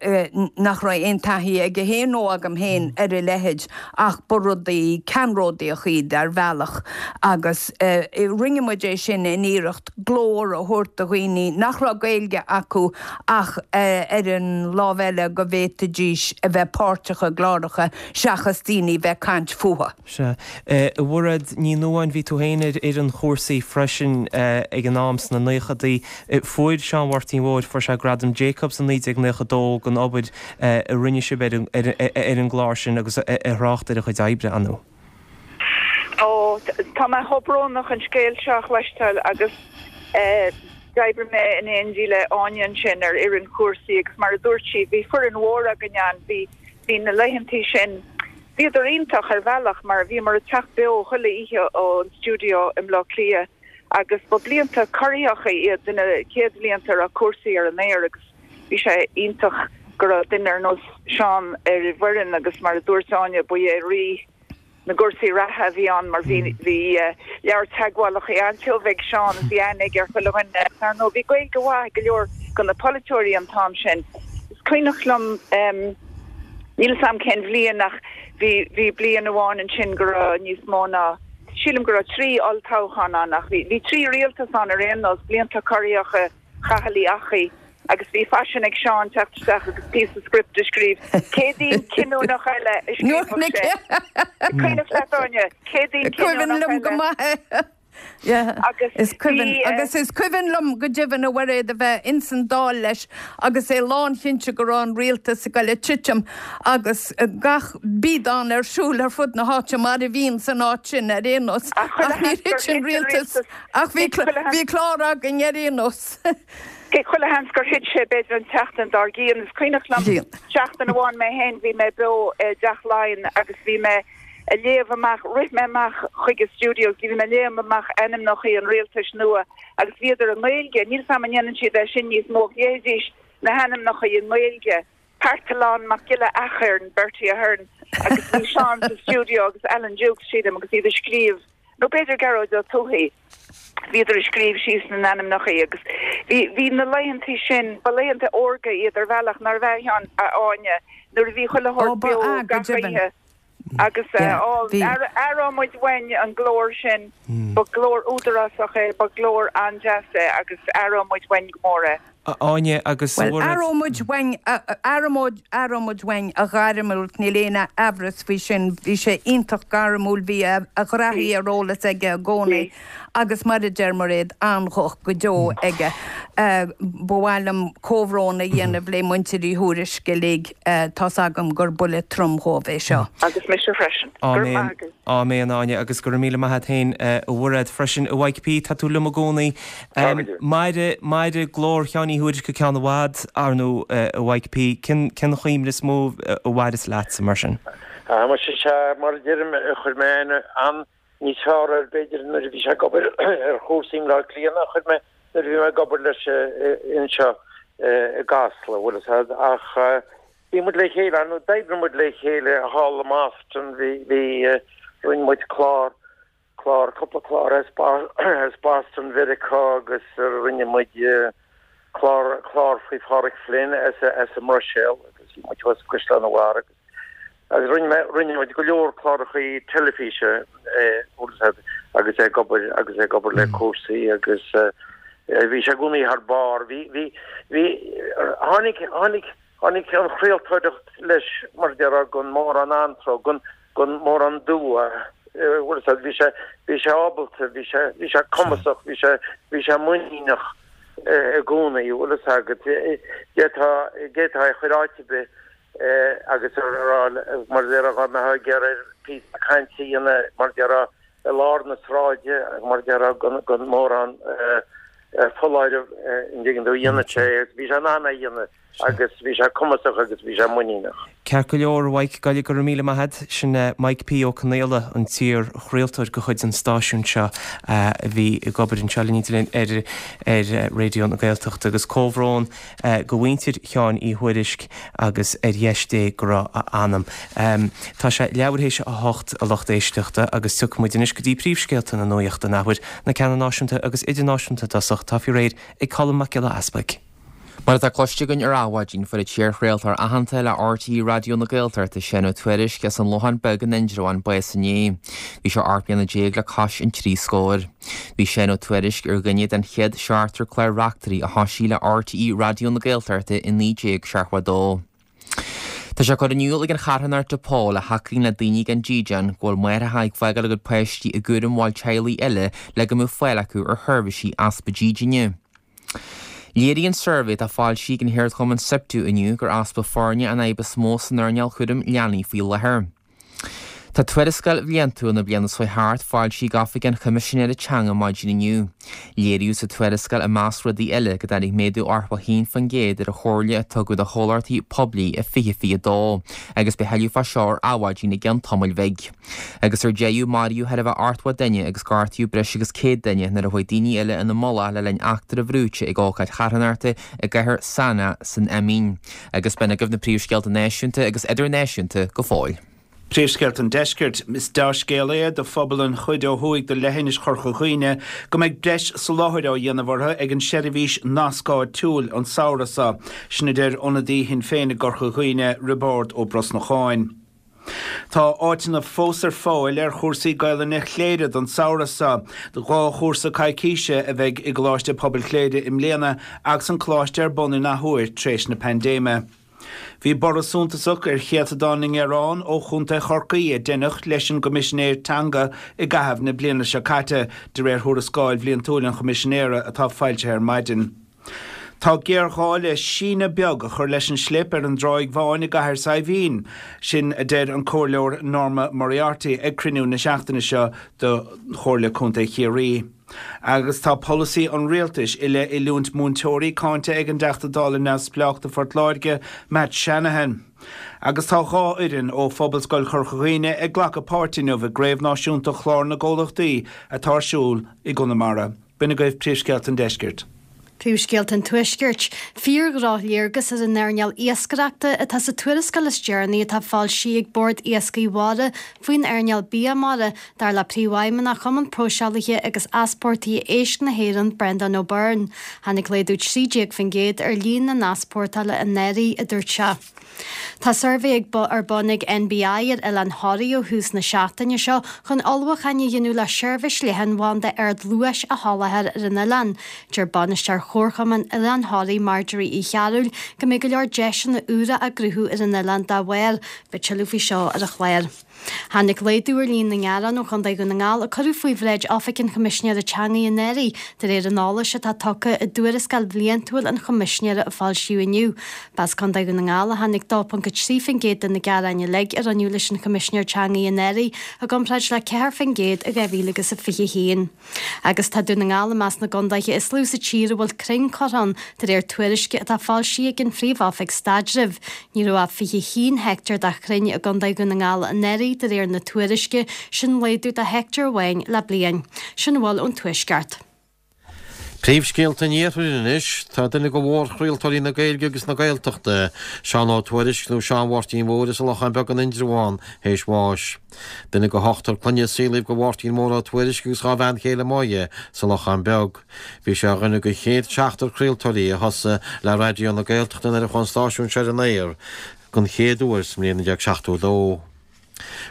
nach raibh aon taithí aige féin nó agam féin ar a leithéid ach ba rudaí ceannródaíocha iad ar bhealach agus rinne muid é sin in iarracht glór a thabhairt do dhaoine nach raibh Gaeilge acu ach ar an lámh eile go bhféadfaidís a bheith páirteach i gcláracha seachas daoine bheith ag caint fúthu. Sea. A Mhairéad Ní Nuadháin, bhí tú féin ar fhoireann Chúrsaí freisin ag an am sna naochadaí. Fuair Seán Mháirtín Mhóir, fuair sé Gradam Jacobs i naoi déag naocha dó don obair a rinne sibh ar an gclár sin agus a thrácht ar a chuid oibre, an ea? Ó, tá mé chomh brónach an scéal seo a chloisteáil agus d'oibrigh mé in éindí le Áine ansin ar fhoireann Chúrsaí agus mar a dúirt sí, bhí foireann mhór againn ann, bhí, bhí na laethantaí sin, bhíodar iontach ar bhealach mar bhíomar ag teacht beo chuile oíche ón stiúideo i mBleá Cliath agus ba blianta corraitheacha iad na chéad bhlianta a raibh Cúrsaí ar an aer agus bhí sé iontach go raibh duine ar nós Seán ar an bhfoireann agus mar a dúirt Áine, ba é rí na gcúrsaí reatha a bhí ann mar bhí bhí leabhar teagmhálacha an-tiubh ag Seán agus bhí aithne aige ar chuile dhuine. Ar ndóigh bhí Gaeilge mhaith ag go leor de na polaiteoirí an t-am sin. Is cuimhneach liom, níl 'fhios a'm cén bhliain ach bhí bhí bliain amháin ansin go raibh níos mó ná, sílim go raibh trí olltoghchán ann ach bhí bhí trí rialtas ann ar aon nós, blianta corraitheacha Chathail Uí Eachaidh agus bhí faisean ag Seán teacht isteach agus píosa script a scríobh. Céadaoin cinniúnach eile a scríobhadh sé. Cuimhneach leat, Áine? Céadaoin Cuimhin cinniúnach liom go eile. maith é. Yeah. Agus Is cuimhin, bhí. agus is cuimhin liom go deimhin, a Mhairéad, a bheith ins an Dáil leis agus é lánchinnte go raibh an rialtas ag goil a titim agus gach biadán ar siúl ar fud na háite mar a bhíonn san áit sin ar aon nós. Ach chuile Ach níor sheans gur thit an thit an rialtas. rialtas. Ach bhí Thit chuile bhí clár againn ar aon nós. Cé chuile sheans gur thit sé b'fhéidir an tseachtain dár gcionn. Is cuimhneach liom Bhí. seachtain amháin mé féin, bhí mé beo i dTeach Laighean agus bhí mé a léamh amach, rith mé amach chuig an stiúideo agus bhí mé a léamh amach ainmneacha an rialtais nua agus bhíodar i nGaeilge. Níl 's a'm an ndéanann siad é sin níos mó ach léifidís na hainmneacha i nGaeilge. Parthalán Mac Giolla Eachairn, Bertie Ahern agus bhí Seán sa stiúideo agus Alan Dukes, sílim, agus iad ag scríobh, nó b'fhéidir Gearóid Ó Tuathaigh, bhíodar ag scríobh síos na n-ainmneacha agus bhí, bhí na laethantaí sin, ba laethanta órga iad ar bhealach, nárbh ea, a Áine, nuair a bhí chuile Ó, shórt ba beo ea, go gach deimhin. oíche agus Yeah, á, bhí. aireoidh muid uainn an glór sin, ba glór údarásach é, ba glór an-deas é agus aireoidh muid uainn go mór é. A Áine agus a Bhuel, Mhairéad. aireoidh muid uainn, aireoidh aireoidh muid uainn a ghairmiúlacht, níl aon amhras faoi sin. Bhí sé iontach gairmiúil, bhí a ghraithí ar eolas aige i gcónaí agus mar a deir Mairéad, an-ghuth go deo aige. Ba mhaith liom comhbhrón a dhéanamh le muintir Uí Thuairisg uilig, tá's agam gur buille trom dhóibh é seo. Agus mise freisin. Go raibh maith agat. Áiméan, Áine, agus go raibh míle maith agat féin, a Mhairéad, freisin. A Mhaidhc P, tá tú liom i gcónaí. Mairfidh, mairfidh glór Sheáin Uí Thuairisg go ceann i bhfad, ar ndóigh, a Mhaidhc P. Cén, cén chuimhne is mó a mhaireas leatsa, mar sin? Ah, muise, sea, mar a deirim, chuir mé aithne an níos fearr air, b'fhéidir, nuair a bhí sé ag obair ar chúrsaí i mBleá Cliath ná a chuir mé nuair a bhí mé ag obair leis anseo i gCasla, bhfuil fhios a'd, ach bhí muid le chéile, ar ndóigh, d'oibrigh muid le chéile thall i mBoston, bhí, bhí, rinne muid clár, clár, cúpla clár as, as Boston Mheiriceá agus rinne muid clár, clár faoi Phádraic Flynn as, as an mBruiséil agus bhí muid thuas i gCaisleán an Bharraigh agus Agus rinne mé, rinne muid go leor clárachaí teilifíse, bhfuil fhios a'd, agus é ag obair, agus é ag obair le cúrsaí agus bhí sé i gcónaí thar barr. Bhí, bhí, bhí, tháinig, tháinig, tháinig an chraoltóireacht leis, mar a déarfá, gan mórán anró, gan, gan mórán dua, bhfuil fhios a'd, bhí sé, bhí sé ábalta, bhí sé, bhí sé cumasach, bhí sé, bhí sé muiníneach i gcónaí, bhfuil fhios agat. D'fhéadfá, d'fhéadfá é a chur áit ar bith agus a rá, mar a déarfá, dá mbeifeá ag iarraidh air píosa cainte a dhéanamh, mar a déarfá, i lár na sráide, mar a déarfá, gan mórán foláireamh, an dtuigeann tú, dhéanfadh sé é. Bhí sé in ann é a dhéanamh agus bhí sé cumasach agus bhí sé muiníneach. Ceart go leor, a Mhaidhc, go raibh míle maith agat. Sin Mike P. Ó Conaola, an t-iar-chraoltóir de chuid an stáisiúin seo a bhí ag obair anseo linn ar ar Raidió na Gaeltachta agus comhbhrón go mhuintir Sheáin Uí Thuairisg agus ar dheis Dé go raibh a anam. Tá sé leathuair théis a hocht a lucht éisteachta agus tiocfaidh muid anois go dtí príomhscéalta na nuachta an athuair, na ceanna náisiúnta agus idirnáisiúnta i dtosach, tá faoi réir ag Colm Mac Giolla Easpaig. Mar atá cloiste againn ar Adhmhaidin, fuair an t-iarchraoltóir aitheanta le RTÉ Raidió na Gaeltachta, Seán Ó Tuairisg, as an Lochán Beag in Indreabhán, bás inné. Bhí sé ocht mbliana déag le cois an trí scóir. Bhí Seán Ó Tuairisg ar dhuine den chéad seachtar clár-reachtairí a thosaigh le RTÉ Raidió na Gaeltachta i naoi déag seachtó a dó. Tá sé curtha in iúl ag an charthanacht de Paul a thacaíonn le daoine gan dídean go bhfuil máithreacha ag fágáil a gcuid páistí i gcúram bhaill teaghlaigh eile le go mbeadh fáil acu ar sheirbhísí easpa dídine. Léiríonn suirbhé atá foilsithe ag an cheardchumann Siptu inniu gur easpa foirne an fhadhb is mó san earnáil chúram leanaí faoi láthair. Tá tuarascáil bhliantúil na bliana seo thart foilsithe ag Oifig an Choimisinéara Teanga maidin inniu. Léiríodh sa tuarascáil i measc rudaí eile go dtáinig méadú ochtó a haon faoin gcéad ar an chomhairle a tugadh do chomhlachtaí poiblí i fiche fiche a dó agus beidh tuilleadh fá seo ar Adhmhaidin i gceann tamaill bhig. Agus ar deireadh maraíodh thar a bheith ochtó duine agus gortaíodh breis agus céad duine nuair a chuaigh daoine eile ina mullach le linn eachtra bhrúite ag ócáid charthanachta i gcathair Sanaa san Eimín. Agus b'in agaibh na príomhscéalta náisiúnta agus idirnáisiúnta go fóill. Príomhscéalta an Deiscirt. Is dea-scéal é do phobal an chuid ó thuaidh de leithinis Chorca Dhuibhne go mbeidh breis soláthair á dhéanamh orthu ag an seirbhís Nasc Áitiúil an samhradh seo. Sin a deir ionadaí Shinn Féin i gCorca Dhuibhne, Roibeárd Ó Brosnacháin. Tá áiteanna fós ar fáil ar chúrsaí Gaelainne Chléire don samhradh seo. Dhá chúrsa coicíse a bheidh i gColáiste Pobail Chléire i mbliana agus an coláiste ar bun in athuair tar éis na paindéime. Bhí borradh suntasach ar chéatadán na ngearán ó Chontae Chorcaí a deineadh leis an gCoimisinéir Teanga i gcaitheamh na bliana seo caite, de réir thuarascáil bhliantúil an Choimisinéara atá foilsithe ar maidin. Tá géarghá le síneadh beag a chur leis an slip ar an dTráigh Bháin i gCathair Saidhbhín, sin a deir an Comhairleoir Norma Moriarty ag cruinniú na seachtaine seo de Chomhairle Contae Chiarraí. Agus tá polasaí an rialtais i leith oiliúint múinteoirí cáinte ag an dTeachta Dála neamhspleách do Phort Láirge, Matt Shanahan. Agus tá dhá fhoireann ó Phobalscoil Chorca Dhuibhne ag glacadh páirt inniu i gCraobh Náisiúnta Chlár na gComhlachtaí atá ar siúl i gConamara. B'in agaibh príomhscéalta an deiscirt. Príomhscéalta an Tuaiscirt. Fíor-dhrochléargas ar an earnáil iascaireachta atá sa tuarascáil is deireanaí atá foilsithe ag Bord Iascaigh Mhara faoin earnáil bia mara, dar le Príomhfheidhmeannach Chumann Próiseálaithe agus Easpórtaithe Éisc na hÉireann, Brendan O'Byrne. Tháinig laghdú trí déag faoin gcéad ar líon na n-easpórtála anuraidh, a dúirt sé. Tá suirbhé ag ar bun ag NBI ar Oileán Thoraí ó thús na seachtaine seo chun ullmhúcháin a dhéanamh le seirbhís leathanbhanda ardluais a sholáthar ar an oileán. Deir bainisteoir Chomharchumann Oileán Thoraí Marjorie Uí Chearúil go mbeidh go leor deiseanna úra á gcruthú ar an oileán dá bharr. Beidh tuilleadh faoi seo ar an chlár. Tháinig laghdú ar líon na ngearán ó Chontae Dhún na nGall a cuireadh faoi bhráid Oifig an Choimisinéara Teanga anuraidh, de réir an eolais atá tugtha i dtuarascáil bhliantúil an Choimisinéara a foilsíodh inniu. B'as Contae Dhún na nGall a tháinig dó ponc a trí faoin gcéad de na gearáin uilig a rinneadh leis an Choimisinéir Teanga anuraidh, i gcomparáid le ceathair faoin gcéad i dhá mhíle agus a fiche a haon. Agus tá Dún na nGall i measc na gcontaetha is lú sa tír a bhfuil crainn curtha ann, de réir tuairisce atá foilsithe ag an Phríomh-Oifig Staidrimh. Ní raibh ach fiche a haon heicteár de chrainn i gContae Dhún na nGall anuraidh, de réir na tuairisce, sin laghdú de heicteár amháin le bliain. Sin a bhfuil ón Tuaisceart. Príomhscéalta an Iarthair anois. Tá duine de mhórchraoltóirí na Gaeilge agus na Gaeltachta, Seán Ó Tuairisg nó Seán Mháirtín Mhóir as an Lochán Beag in Indreabhán, théis bháis. Duine de hochtar clainne a saolaíodh do Mháirtín Mór Ó Tuairisg agus dhá bhean chéile Moya sa Lochán Beag. Bhí sé ar dhuine de chéad seachtar craoltóirí a thosaigh le Raidió na Gaeltachta nuair a chuaigh an stáisiún seo ar an aer den chéad uair sa mbliain naoi déag seachtó a dó.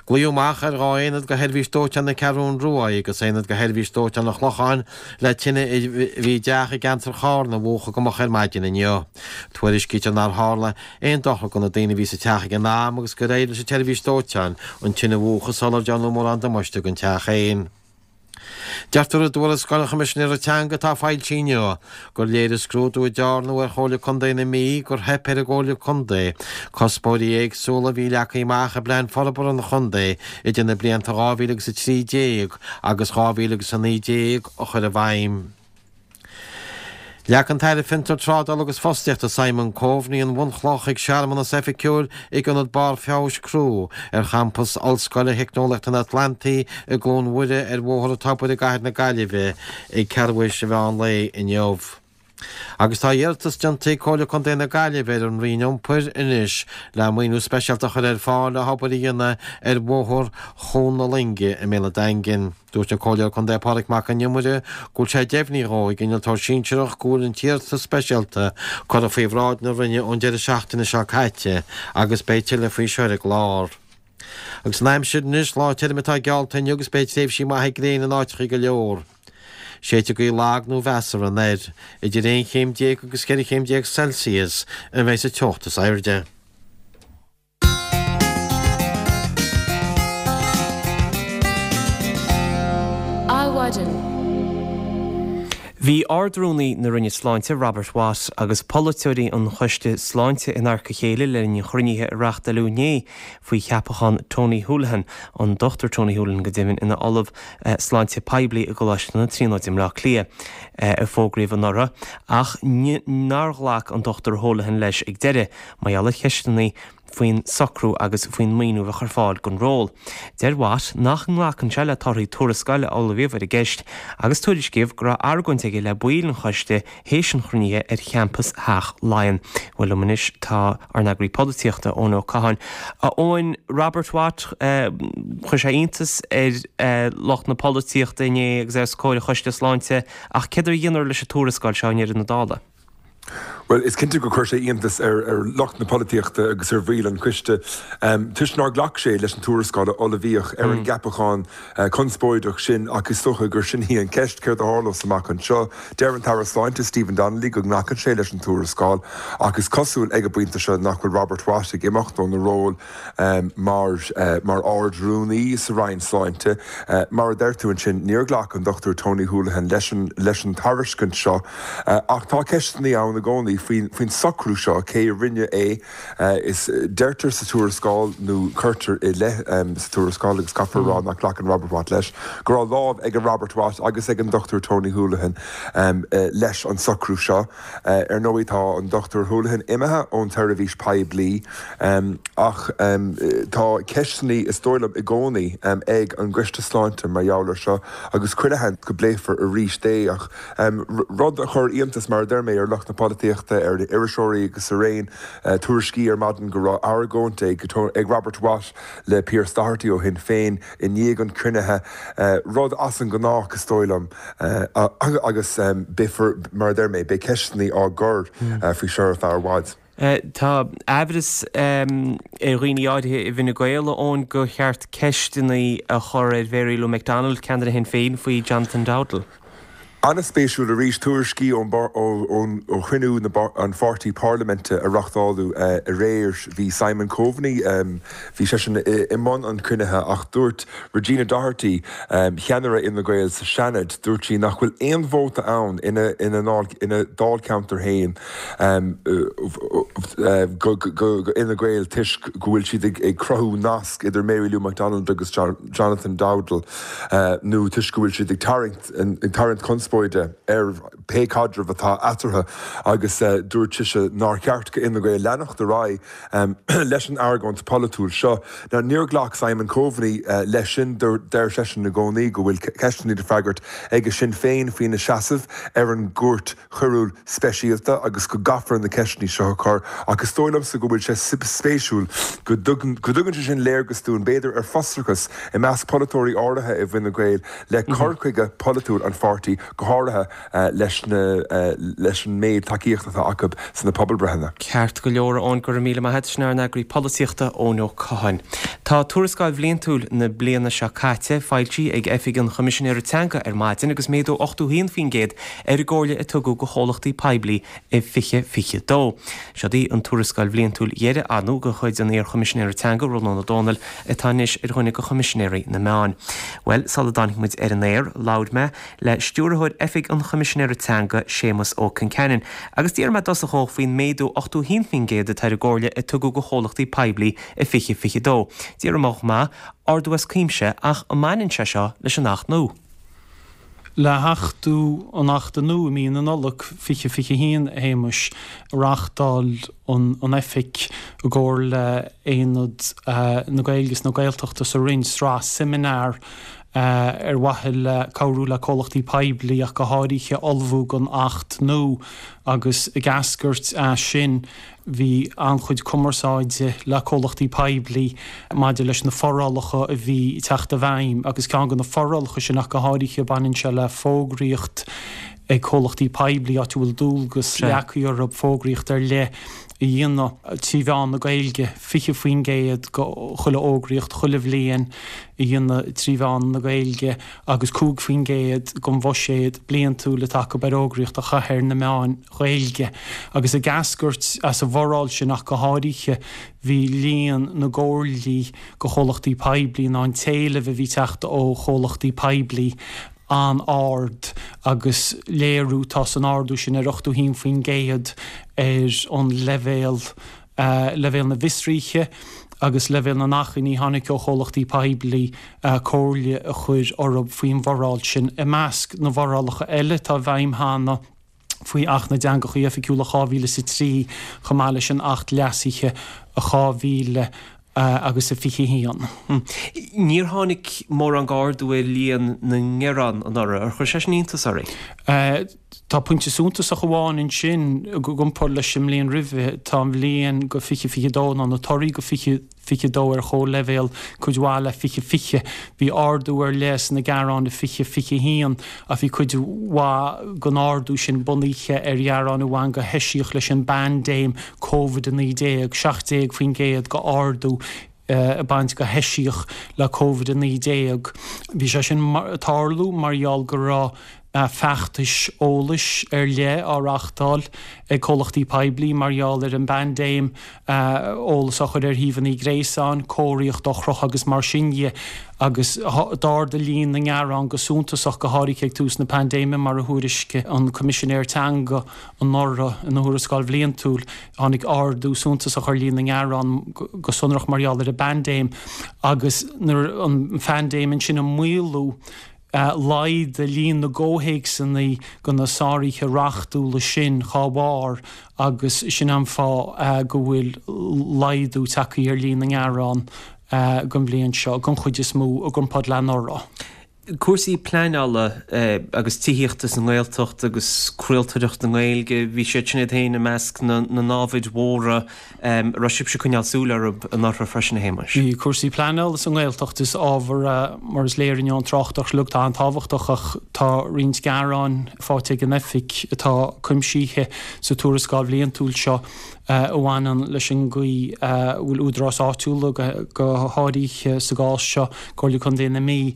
Glaodh amach ar dhá aonad de Sheirbhís Dóiteáin na Ceathrún Rua agus aonad de Sheirbhís Dóiteáin an Chlocháin le tine a bhí i dteach i gceantar Charna a mhúchadh go moch ar maidin inniu. Tuairiscítear nár tharla aon dochar do na daoine a bhí sa teach ag an am agus gur éirigh leis an tseirbhís dóiteáin an tine a mhúchadh sular déanadh mórán damáiste don teach féin. Deirtear i dtuarascáil an Choimisinéara Teanga atá foilsithe inniu gur léirigh scrúdú a dearnadh ar Chomhairle Contae na Mí gur theip ar an gComhairle Contae cuspóirí éagsúla a bhí leagtha amach i bPlean Forbartha an Chontae idir na blianta dhá mhíle agus a trí déag agus dhá mhíle agus a naoi déag a chur i bhfeidhm. Leag an tAire Fiontar, Trádála agus Fostaíochta Simon Coveney an bhunchloch ag searmanas oifigiúil ag Ionad Barr Feabhais Crew ar champas Ollscoile Theicneolaíochta an Atlantaigh i gCluain Mhuire ar Bhóthar an Tobair i gcathair na Gaillimhe ag ceathrú théis an mheán lae inniu. Agus tá iarratas déanta ag Comhairle Contae na Gaillimhe ar an Roinn Iompair anois le maoiniú speisialta a chur ar fáil le hobair a dhéanamh ar Bhóthar Chuan na Loinge i mBéal an Daingin. Dúirt an Comhairleoir Contae Pádraig Mac Con Iomaire go bhfuil sé deimhnithe dhó ag innealtóir sinsearach go bhfuil an t-iarratas speisialta curtha faoi bhráid na Roinne ón deireadh seachtaine seo caite agus beidh tuilleadh faoi seo ar an gclár. Agus an aimsir anois, lá tirim atá geallta inniu agus beidh tréimhsí maithe gréine in áiteacha go leor. Séidfidh gaoth lag nó mheasartha anoir, idir aon chéim déag agus ceithre chéim déag Celsius a bheidh sa teocht is airde. Adhmhaidin. Bhí Ard-Rúnaí na Roinne Sláinte, Robert Watt, agus polaiteoirí an Choiste Sláinte in adharca a chéile le linn an chruinnithe a reáchtáileadh inné faoi cheapachán Tony Holohan, an Dochtúir Tony Holohan go deimhin, ina Ollamh Sláinte Poiblí i gColáiste na Tríonóide i mBleá Cliath, a fógraíodh anuraidh, ach nár ghlac an Dochtúir Holohan leis ag deireadh, mar gheall ar cheisteanna faoin socrú agus faoin maoiniú a bheadh ar fáil don ról. Deir Watt nach nglacann sé le torthaí tuarascáil a ullmhaíodh ar an gceist agus tuairiscíodh go raibh argóint aige le baill an choiste théis an chruinnithe ar champas Theach Laighean. Bhuel liom anois tá ár n-eagraí polaitíochta, Eoin Ó Catháin. A Eoin, Robert Watt, chuir sé iontas ar lucht na polaitíochta inné agus os comhair an Choiste Sláinte ach céard a dheineadar leis an tuarascáil seo i ndeireadh na dála? Bhuel, is cinnte gur chuir sé iontas ar ar lucht na polaitíochta agus ar bhaill an choiste toisc nár ghlac sé leis an tuarascáil a ullmhaíodh ar an gceapachán conspóideach sin ach is dócha gur sin í an cheist, céard a tharlós amach anseo? Deir an tAire Sláinte Stephen Donnelly go nglacann sé leis an tuarascáil ach is cosúil ag an bpointe seo nach bhfuil Robert Watt ag imeacht óna ról mar mar Ard-Rúnaí sa Roinn Sláinte. Mar a deir tú ansin, níor ghlac an Dochtúir Tony Holohan leis an leis an tairiscint seo ach tá ceisteanna ann i gcónaí faoin faoin socrú seo, cé a rinne é. Is deirtear sa tuarascáil, nó cuirtear i leith sa tuarascáil, agus caithfear a rá nach nglacann Robert Watt leis, go raibh lámh ag Robert Watt agus ag an Dochtúir Tony Holohan leis an socrú seo. Ar ndóigh tá an Dochtúir Holohan imithe ón tseirbhís poiblí ach tá ceisteanna, is dóigh liom, i gcónaí ag an gCoiste Sláinte mar gheall air seo agus chuile sheans go bpléifear arís é. Ach rud a chuir iontas, mar a deir mé, ar lucht na polaitíochta, ar iriseoirí agus araon, tuairiscí ar maidin go raibh argóint ag Robert Watt le Pearse Doherty ó Shinn Féin i ndiaidh an chruinnithe, rud as an ngnách, is dóigh liom, agus beifear, mar a deir mé, beidh ceisteanna á gcur faoi seo ar feadh i bhfad. Tá aimhreas ar dhaoine áirithe i bhFine Gael, a Eoin, gur cheart ceisteanna a chur ar Mhary Lou McDonald, ceannaire Shinn Féin, faoi Jonathan Dowdall. An-spéisiúil arís tuairiscí ó chruinniú an pháirtí parlaiminte a reáchtáladh aréir. Bhí Simon Coveney, bhí seisean i mbun an chruinnithe ach dúirt Regina Doherty, ceannaire Fhine Gael sa Seanad, dúirt sí nach bhfuil aon vóta ann ina dáilcheantar féin go Fhine Gael toisc go bhfuil siad ag cruthú nasc idir Mary Lou McDonald agus Jonathan Dowdall nó toisc go bhfuil siad ag tarraingt conspóide ar pé caidreamh atá eatarthu agus dúirt sise nár cheart go Fhine Gael leanacht ar aghaidh leis an argóint pholaitiúil seo. Now níor ghlac Simon Coveney leis sin, deir seisean i gcónaí go bhfuil ceisteanna le freagairt ag Sinn Féin faoina seasamh ar an gCúirt Choiriúil Speisialta agus go gcaithfear na ceisteanna seo a chur ach is dóigh liomsa go bhfuil sé spéisiúil go dtugann sé sin léargas dúinn b'fhéidir ar frustrachas i measc polaiteoirí áirithe i bhFine Gael le cur chuige polaitiúil an pháirtí, go háirithe leis na leis an méid tacaíochta atá acu sna pobalbreitheanna. Ceart go leor, a Eoin, go raibh míle maith agat. Sin ár n-eagraí polaitíochta, Eoin Ó Catháin. Tá tuarascáil bhliantúil na bliana seo caite foilsithe ag Oifig an Choimisinéara Teanga ar maidin agus méadú ochtó haon faoin gcéad ar an gcomhairle a tugadh do chomhlachtaí poiblí i fiche fiche dó. Seod í an tuarascáil bhliantúil dheiridh ar ndóigh de chuid an iar-Choimisinéara Teanga, Rónán Ó Domhnaill, atá anois ar dhuine de Choimisinéirí na Meán. Bhuel, sula dtáinig muid ar an aer, labhair mé le Stiúrthóir Oifig an Choimisinéara Teanga, Séamus Ó Concheanainn, agus d'iarr mé i dtosach dhó faoin méadú ochtó haon faoin gcéad atá ar an gcomhairle a tugadh do chomhlachtaí poiblí i fiche fiche dó. D'iarr mé chomh maith, ardú as cuimse, ach an mbaineann sé seo leis an Acht nua? Le hachtú an Achta nua i mí na Nollag fiche fiche haon, a Shéamais, reáchtáil an Oifig i gcomhar le Aonad na Gaeilge is na Gaeltachta sa Roinn sraith seimineár ar mhaithe le cabhrú le comhlachtaí poiblí ach go háirithe ullmhú don Acht nua agus ag eascairt as sin bhí an-chuid cumarsáide le comhlachtaí poiblí maidir leis na forálacha a bhí ag teacht i bhfeidhm agus ceann de na forálacha sin ach go háirithe baineann sé le fógraíocht ag comhlachtaí poiblí áit a bhfuil dualgas leagtha orthu fógraíocht ar leith a dhéanamh trí mheán na Gaeilge, fiche faoin gcéad de chuile fhógraíocht chuile bhliain a dhéanamh trí mheán na Gaeilge agus cúig faoin gcéad den bhuiséad bliantúil atá acu ar fhógraíocht a chaitheamh ar na meáin Ghaeilge. Agus ag eascairt as an bhforáil sin ach go háirithe bhí líon na gcomhairlí go chomhlachtaí poiblí ná an t-éileamh a bhí ag teacht ó chomhlachtaí poiblí an-ard agus léiriú atá san ardú sin ar ochtó haon faoin gcéad ar an leibhéal, leibhéal na bhfiosruithe agus leibhéal na n-achainí a tháinig ó chomhlachtaí poiblí comhairle a chur orthu faoin bhforáil sin. I measc na bhforálacha eile atá i bhfeidhm cheana faoi Acht na dTeangacha Oifigiúla dhá mhíle is a trí chomh maith leis an Acht leasaithe dhá mhíle agus a fiche haon. Níor tháinig mórán d'ardú ar líon na ngearán anuraidh. Ar chuir sé sin iontas oraibh? Tá pointe suntasach amháin ansin i gcomparáid leis an mbliain roimhe. Tá an bhliain go fiche fiche dó nó na torthaí go fiche fiche dó ar chomhleibhéal cuid mhaith le fiche fiche. Bhí ardú ar leith sna gearáin i fiche fiche haon ach bhí cuid mhaith den ardú sin bunaithe ar ghearáin a bhain go heisiach leis an bpaindéim Covid a naoi déag, seacht déag faoin gcéad d'ardú ag baint go heisiach le Covid a naoi déag. Bhí sé sin ag tarlú mar gheall go raibh feachtais eolais ar leith á reáchtáil ag comhlachtaí poiblí mar gheall ar an bpaindéim, eolas á chur ar shuíomhanna gréasáin, comharthaíocht á chrochadh agus mar sin dhe, agus d'ardaigh líon na ngearán go suntasach, go háirithe ag tús na paindéime, mar a thuairiscigh an Coimisinéir Teanga anuraidh ina thuarascáil bhliantúil. Tháinig ardú suntasach ar líon na ngearán, go sonrach mar gheall ar an bpaindéim, agus nuair an phaindéim ansin ag maolú, Laghdaigh líon na gcomhthéacsanna de na sáruithe reachtúla sin dhá bharr agus sin an fáth go bhfuil laghdú tagtha ar líon na ngearán don bhliain seo, den chuid is mó, i gcomparáid le anuraidh. Cúrsaí pleanála agus tithíochta sa nGaeltacht agus craoltóireacht na Gaeilge, bhí siad sin iad féin i measc na n-ábhair mhóra a raibh sibhse ag coinneáil súil orthu anuraidh freisin, a Shéamais. Bhí cúrsaí pleanála sa nGaeltacht, is ábhar é, mar is léir inniu ón tráchtaireacht uilig, atá an-tábhachtach ach tá roinnt gearáin faighte ag an Oifig atá cuimsithe sa tuarascáil bhliantúil seo a bhaineann leis an gcaoi a bhfuil údaráis áitiúla, go háirithe sa gcás seo Comhairle Contae na Mí,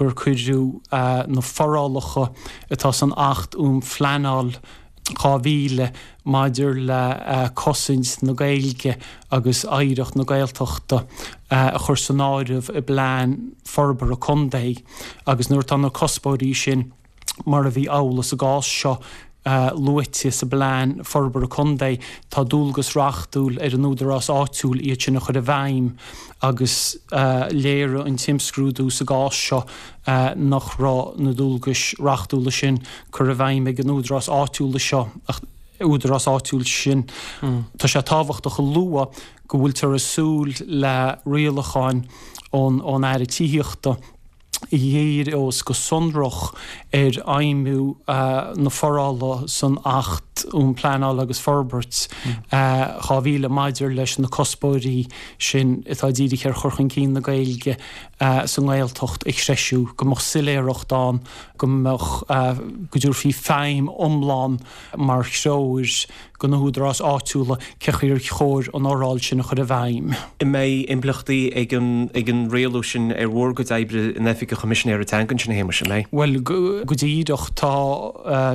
gur cuireadh na forálacha atá san Acht um Phleanáil dhá mhíle maidir le cosaint na Gaeilge agus oidhreacht na Gaeltachta a chur san áireamh i bplean forbartha contae agus nuair atá na cuspóirí sin, mar a bhí amhlaidh sa gcás seo, luaite sa bplean forbartha contae, tá dualgas reachtúil ar an údarás áitiúil iad sin a chur i bhfeidhm agus léirigh an t-imscrúdú sa gcás seo nach raibh na dualgais reachtúla sin curtha i bhfeidhm ag an údarás áitiúil seo, údarás áitiúil sin. Tá sé tábhachtach a lua go bhfuiltear ag súil le rialacháin ón Aire Tithíochta, a dhíreos go sonrach ar fheidhmiú na forála san Acht um Pleanáil agus Forbairt dhá mhíle maidir leis na cuspóirí sin atá dírithe ar chur chun cinn na Gaeilge sa nGaeltacht a threisiú, go mbeadh soiléireacht ann, go mbeadh, go dtabharfaí feidhm iomlán mar threoir do na húdaráis áitiúla cé chaoi ar chóir an fhoráil sin a chur i bhfeidhm. An mbeidh impleachtaí ag an ag an rialú sin ar bhur gcuid oibre in Oifig an Choimisinéara Teanga ansin, a Shéamais, an mbeidh? Bhuel, go díreach, tá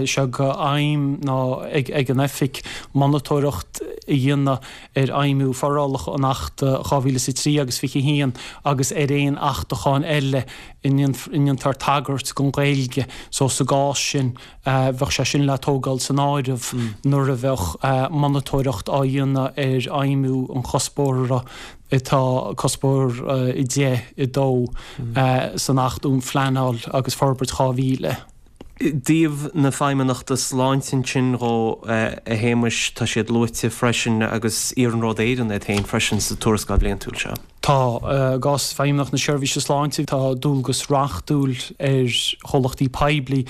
sé d'aidhm ná ag ag an Oifig monatóireacht a dhéanamh ar fheidhmiú forálacha an Achta dhá mhíle is a trí agus fiche a haon agus ar aon achtacháin eile ina ndéantar tagairt don Ghaeilge so sa gcás sin bheadh sé sin le tógáil san áireamh nuair a bheadh monatóireacht á dhéanamh ar fheidhmiú an chuspóra atá, cuspóir a deich, a dó, san Acht um Phleanáil agus Forbairt dhá mhíle. I dtaobh na Feidhmeannachta Sláinte ansin dhó, a Shéamais, tá siad luaite freisin agus Iarnród Éireann iad féin freisin sa tuarascáil bhliantúil seo. Tá. I gcás Feidhmeannacht na Seirbhíse Sláinte, tá dualgas reachtúil ar chomhlachtaí poiblí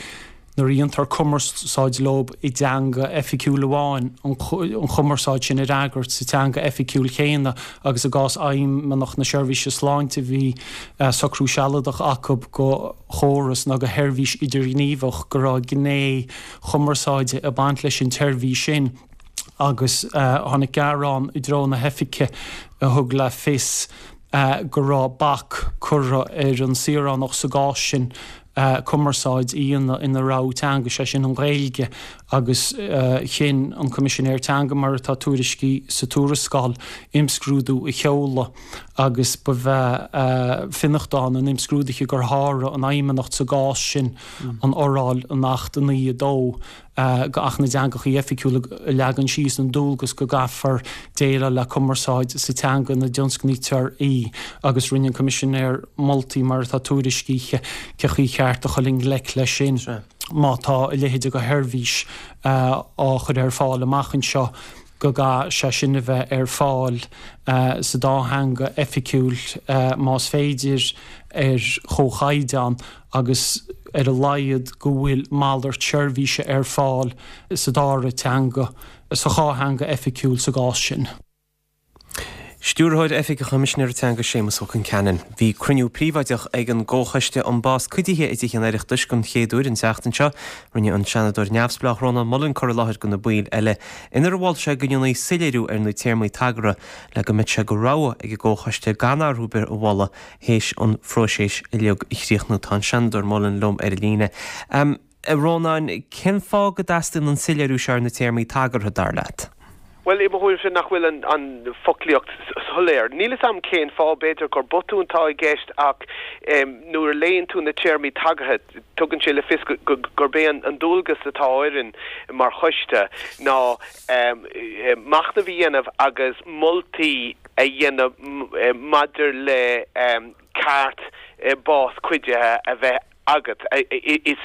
nuair a dhéantar cumarsáid leo i dteanga oifigiúil amháin, an chumarsáid sin a fhreagairt sa teanga oifigiúil chéanna agus i gcás Fheidhmeannacht na Seirbhíse Sláinte bhí socrú sealadach acu go chóras nó go sheirbhís idirghníomhach go raibh gné chumarsáide ag baint leis an tseirbhís sin agus tháinig gearán i dtreo na hoifige a thug le fios go raibh bac curtha ar an saoránach sa gcás sin cumarsáid a dhéanamh ina rogha teanga, sé sin an Ghaeilge, agus chinn an Coimisinéir Teanga, mar atá tuairiscithe sa tuarascáil, imscrúdú a sheoladh agus ba bhe fionnachtain an imscrúdaithe gur sháraigh an Fheidhmeannacht sa gcás sin an fhoráil in Acht a naoi a dó d'Acht na dTeangacha Oifigiúla a leagann síos an dualgas go gcaithfear déileáil le cumarsáid sa teanga ina dtionscnaítear í agus rinne an Coimisinéir moltaí mar atá tuairiscithe cé chaoi cheart a dhul i ngleic leis sin má tá a leithéid de sheirbhís á chur ar fáil amach anseo go gcaithfidh sé sin a bheith ar fáil sa dá theanga oifigiúil más féidir ar chomhchaighdeán agus ar a laghad go bhfuil malairt seirbhíse ar fáil sa dara teanga, sa dhá theanga oifigiúil sa gcás sin. Stiúrthóir Oifig an Choimisinéara Teanga Séamus Ó Concheanainn. Bhí cruinniú príobháideach ag an gComhchoiste um Bás Cuidithe i dTithe an Oireachtais don chéad uair an tseachtain seo. Rinne an Seanadóir neamhspleách Rónán Mullen cur i láthair do na baill eile inar mhol sé go ndéanfaí soiléiriú ar na téarmaí tagartha le go mbeadh sé de rogha ag an gComhchoiste gan athrú ar bith a mholadh théis an phróiseas uilig a chríochnú. Tá an Seanadóir Mullen liom ar an líne. A Rónáin, cén fáth go dteastaíonn an soiléiriú seo ar na téarmaí tagartha, dar leat? Bhuel, i mo thuairimse nach bhfuil an foclaíocht soiléir. Níl 'fhios a'm cén fáth, b'fhéidir gur botún atá i gceist ach nuair a léann tú na téarmaí tagartha, tugann sé le fios gurb é an dualgas atá orainn mar choiste ná machnamh a dhéanamh agus moltaí a dhéanamh maidir le ceart bás cuidithe a bheith agat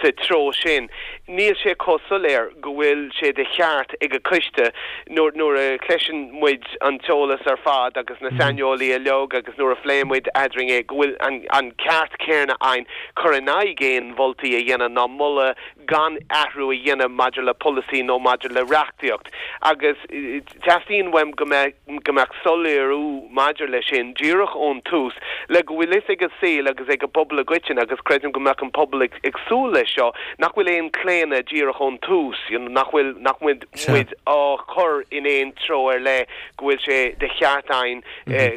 sa treo sin. Níl sé chomh soiléir go bhfuil sé de cheart ag an gcoiste nuair a chloiseann muid an t-eolas ar fad agus na saineolaithe uilig agus nuair a phléann muid eadrainn é go bhfuil an ceart céanna againn cur in aghaidh aon mholtaí a dhéanamh ná moladh gan athrú a dhéanamh maidir le polasaí nó maidir le reachtaíocht agus teastaíonn uaim go mbeadh go mbeadh soiléiriú maidir leis sin díreach ón tús le go bhfuil fhios ag an saol agus ag an bpobal i gcoitinne agus creidim go mbeadh an an pobal ag súil leis seo, nach bhfuil aon claonadh díreach ón tús, you know, nach bhfuil, nach bhfuil muid á chur in aon treo ar leith, go bhfuil sé de cheart againn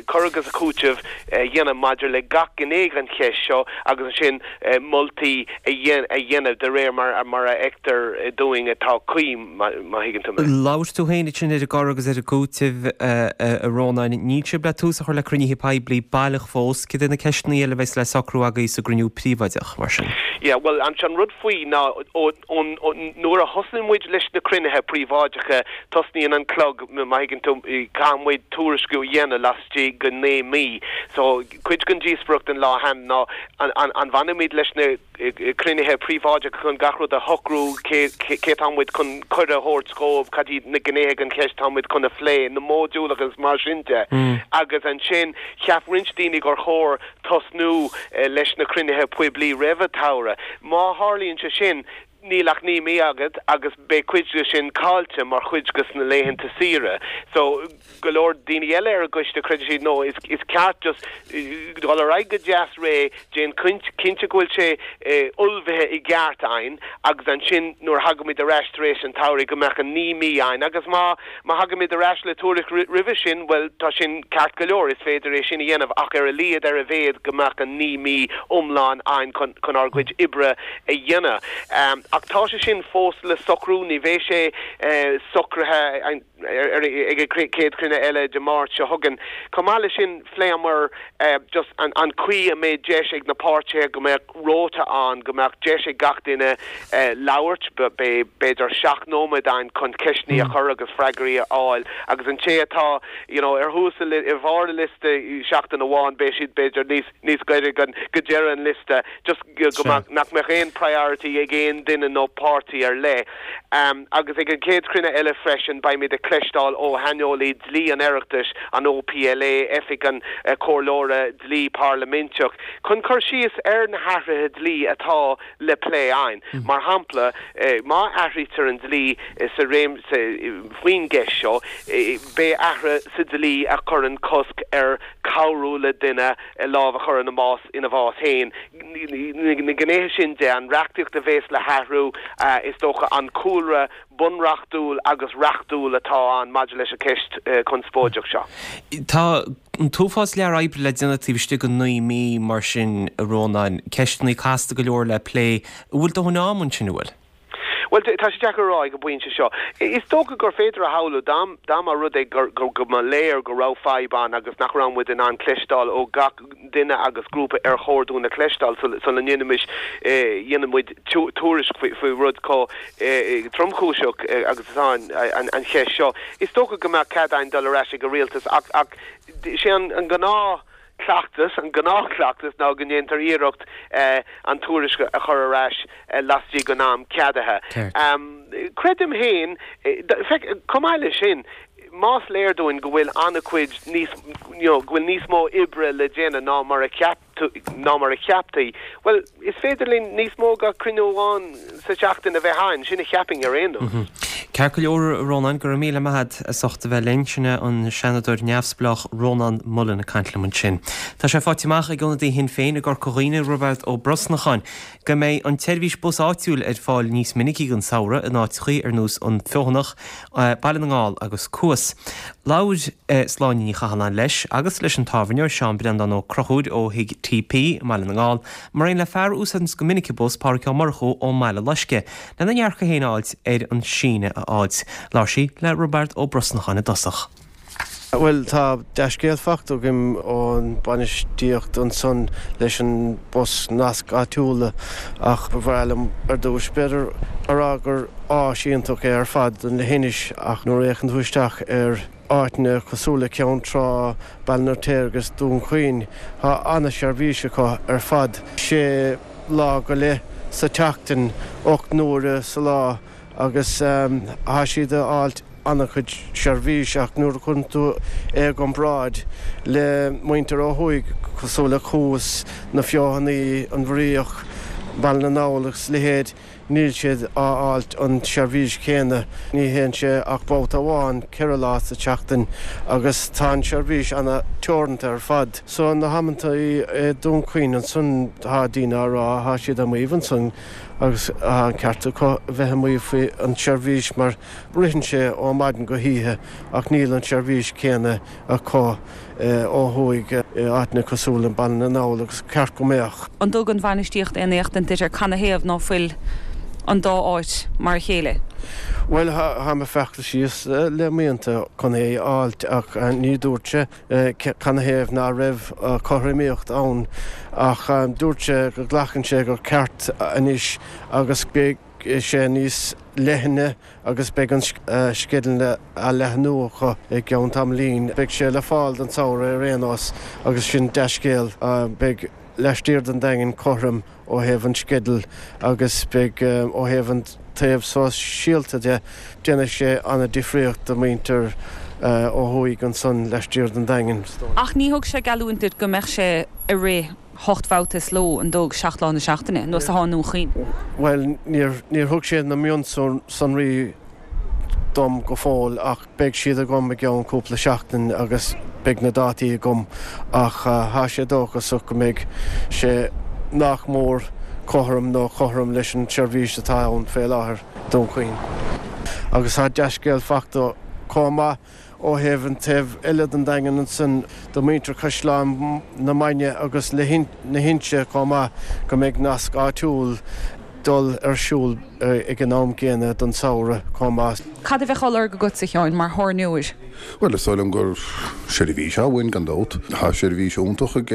cur agus cúiteamh a dhéanamh maidir le gach gné den cheist seo agus ansin moltaí a dhéanamh de réir mar a fheictear dúinn atá cuí, má thuigeann tú mé. Labhair tú féin ansin ar an gcur agus ar an gcúiteamh, a Rónáin. Níl sibh le tús a chur le cruinnithe poiblí baileach fós. Cad é na ceisteanna eile a bheas le socrú agaibh sa gcruinniú príobháideach, mar sin? Yeah, bhuel, an rud faoi ná nuair a thosnaíonn muid leis na cruinnithe príobháideacha, tosnaíonn an clog, má thuigeann tú, caithfidh muid tuairisciú a dhéanamh laistigh de naoi mí. So, cuid den díospóireacht an lá cheana ná an an bhfanfaimid leis na cruinnithe príobháideacha chun gach rud a shocrú, cé cé tá muid chun cuireadh a thabhairt dhóibh, cad iad na gnéithe den cheist atá muid chun a phlé, na módúil agus mar sin de. Agus ansin, cheap roinnt daoine gur chóir tosnú leis na cruinnithe poiblí roimh an tsamhradh. Má tharlaíonn sé sin, níl ach naoi mí agat agus beidh cuid de sin caillte mar chuid de na laethanta saoire. So, go leor daoine eile ar an gcoiste, creideann siad, no, is is ceart just dul ar aghaidh go deas réidh, déan cinnte go bhfuil sé ullmhaithe i gceart againn agus ansin nuair a thagaimid ar ais tar éis an tsamhraidh go mbeadh an naoi mí againn agus má Má thagaimid ar ais le tuairisc roimhe sin, bhuel, tá sin ceart go leor, is féidir é sin a dhéanamh, ach ar a laghad, ar a mhéad, go mbeadh an naoi mí iomlán againn chun chun ár gcuid oibre a dhéanamh. Ach tá sé sin fós le socrú, ní bheidh sé socraithe ag an chéad chruinniú eile Dé Máirt seo chugainn. Chomh maith leis sin, phléamar just an chaoi a mbeidh deis ag na páirtithe go mbeadh rota ann, go mbeadh deis ag gach duine labhairt, beidh b'fhéidir seacht nóiméad ann chun ceisteanna a chur agus freagraí a fháil agus an té atá you know ar thús ar bharr an liosta seachtain amháin beidh siad b'fhéidir níos níos gaire go deireadh an liosta just go mbeadh nach mbeadh aon priority ag aon duine nó páirtí ar leith. Agus ag an chéad chruinniú eile freisin beimid ag cloisteáil ó shaineolaí dlí an Oireachtais, an OPLA, Oifig an Chomhairleora Dlí Parlaiminteach, chun cur síos ar na hathruithe dlí atá le plé againn. Mar shampla, má athraítear an dlí sa réimse faoin gceist seo, beidh athruithe sa dlí a chuireann cosc ar chabhrú le duine lámh a chur ina mbás ina bhás féin. Na gnéithe sin de, an reachtaíocht a bhéas le hathrú, is dócha an cúlra bunreachtúil agus reachtúil atá ann maidir leis an cheist chonspóideach seo. Tá an t-uafás lear oibre le déanamh taobh istigh de naoi mí mar sin, a Rónáin. Ceisteanna casta go leor le plé. An bhfuil dóthain ama ansin, an bhfuil? Bhuel, tá sé deacair a rá ag an bpointe seo. Is dócha gur féidir a shamhlú, dá mba rud é go mba léir go raibh fadhb ann agus nach raibh muid in ann cloisteáil ó gach duine agus grúpa ar chóir dúinn a chloisteáil sula ndéanfaimis, dhéanfaidh muid tuairisc faoi rud chomh tromchúiseach agus atá an cheist seo. Is dócha go mbeadh cead againn dul ar ais ag an rialtas ach ach sé an gnáth cleachtas, an gnáthchleachtas ná go ndéantar iarracht an tuairisc a chur ar ais laistigh den am ceadaithe. Creidim féin, chomh maith leis sin, más léir dúinn go bhfuil an-chuid níos, you know, go bhfuil níos mó oibre le déanamh ná mar a cheap, ná mar a cheaptaí, bhuel, is féidir linn níos mó ná cruinniú amháin sa tseachtain a bheith againn, sin a cheapfainn ar aon nós. Ceart go leor, a Rónáin, go raibh míle maith agat as ucht a bheith linn. Sin é an Seanadóir neamhspleách Rónán Mullen ag caint liom ansin. Tá sé faighte amach ag ionadaí Shinn Féin i gCorca Dhuibhne, Roibeard Ó Brosnacháin, go mbeidh an tseirbhís bus áitiúil ar fáil níos minicí don samhradh in áiteachaí ar nós An Feothanach, Baile na nGall agus Cuas. Labhair Sláine Ní Chathalláin leis agus leis an tábhairneoir Seán Breandán Ó Conchúir ó Thigh TP i mBaile na nGall, mar aon le fear a úsáideanns go minic an bus, Pádhraic Ó Murchú ón mBaile Loiscthe, lena ndearcadh féin a fháilt ar an síneadh a fháilt. Labhair sí le Roibeard Ó Brosnacháin i dtosach. Bhuel, tá dea-scéal fachta againn ón bainistíocht ansan leis an bus nasc áitiúla ach ba bhreá liom ar dtús b'fhéidir a rá gur áis iontach é ar fad don leithinis ach nuair a fhéachann tú isteach ar áiteanna cosúil le Ceann Trá, Baile an Fheirtéaraigh agus Dún Chaoin, tá ana-sheirbhís acu ar fad, sé lá go leith sa tseachtain, ocht n-uaire sa lá agus tá siad a fháilt an-chuid seirbhís ach nuair a chuireann tú é i gcomparáid le muintir ó thuaidh cosúil le Cuas, na Feothanaí, an Bhraoch, Baile na nGall agus a leithéid, níl siad á fháilt an tseirbhís chéanna. Ní théann sé ach babhta amháin ceithre lá sa tseachtain agus tá an tseirbhís ana teoranta ar fad. So na hamanntaí i Dún Chaoin ansan tá daoine á rá, tá siad ag maíomh ansan agus tá an ceart acu a bheith ag maíomh faoi an tseirbhís mar ritheann sé ó maidin go hoíche ach níl an tseirbhís chéanna acu ó thuaidh i áiteanna cosúil le Baile na nGall agus ceart go mbeadh. An dtug an bhainistíocht aon éachtaint duit ar canathaobh ná fuil an dá áit mar a chéile? Bhuel, tá mé ag feachtas síos le míonta chun é a fháilt ach ní dúirt sé canathaobh ná raibh cothromaíocht ann ach dúirt sé go nglacann sé gur ceart anois agus beidh sé níos leithne agus beidh an sceideal á leathnú acu i gceann tamaillín. Beidh sé le fáil don samhradh ar aon nós agus sin dea-scéal. Beidh laistiar den Daingean cothrom ó thaobh an sceidil agus beidh ó thaobh an taobh sóisialta de, déanfaidh sé an-difríocht do mhuintir ó thuaidh ansan laistiar den Daingean. Ach ní thug sé geallúint duit go mbeadh sé ag rith hocht mbabhta sa ló, an dtug, seacht lá na seachtaine, nós atá i nDún Chaoin? Bhuel, níor, níor thug sé na mionsonraí dom go fóill ach beidh siad agam i gceann cúpla seachtain agus beidh na dátaí agam ach tá sé dóchasach go mbeidh sé nach mór cothrom nó cothrom leis an tseirbhís atá ann fé láthair i Dún Chaoin. Agus tá dea-scéal fachta chomh maith ó thaobh an taobh eile den Daingean ansan do mhuintir Chaisleán na Mainge agus na hInse chomh maith go mbeidh nasc áitiúil dul ar siúl ag an am gcéanna don samhradh chomh maith. Cad a bheadh á lorg agatsa, a Sheáin, mar thábhairneoir? Bhuel, is dóigh liom gur seirbhís atá uainn gan dabht. Tá seirbhís iontach ag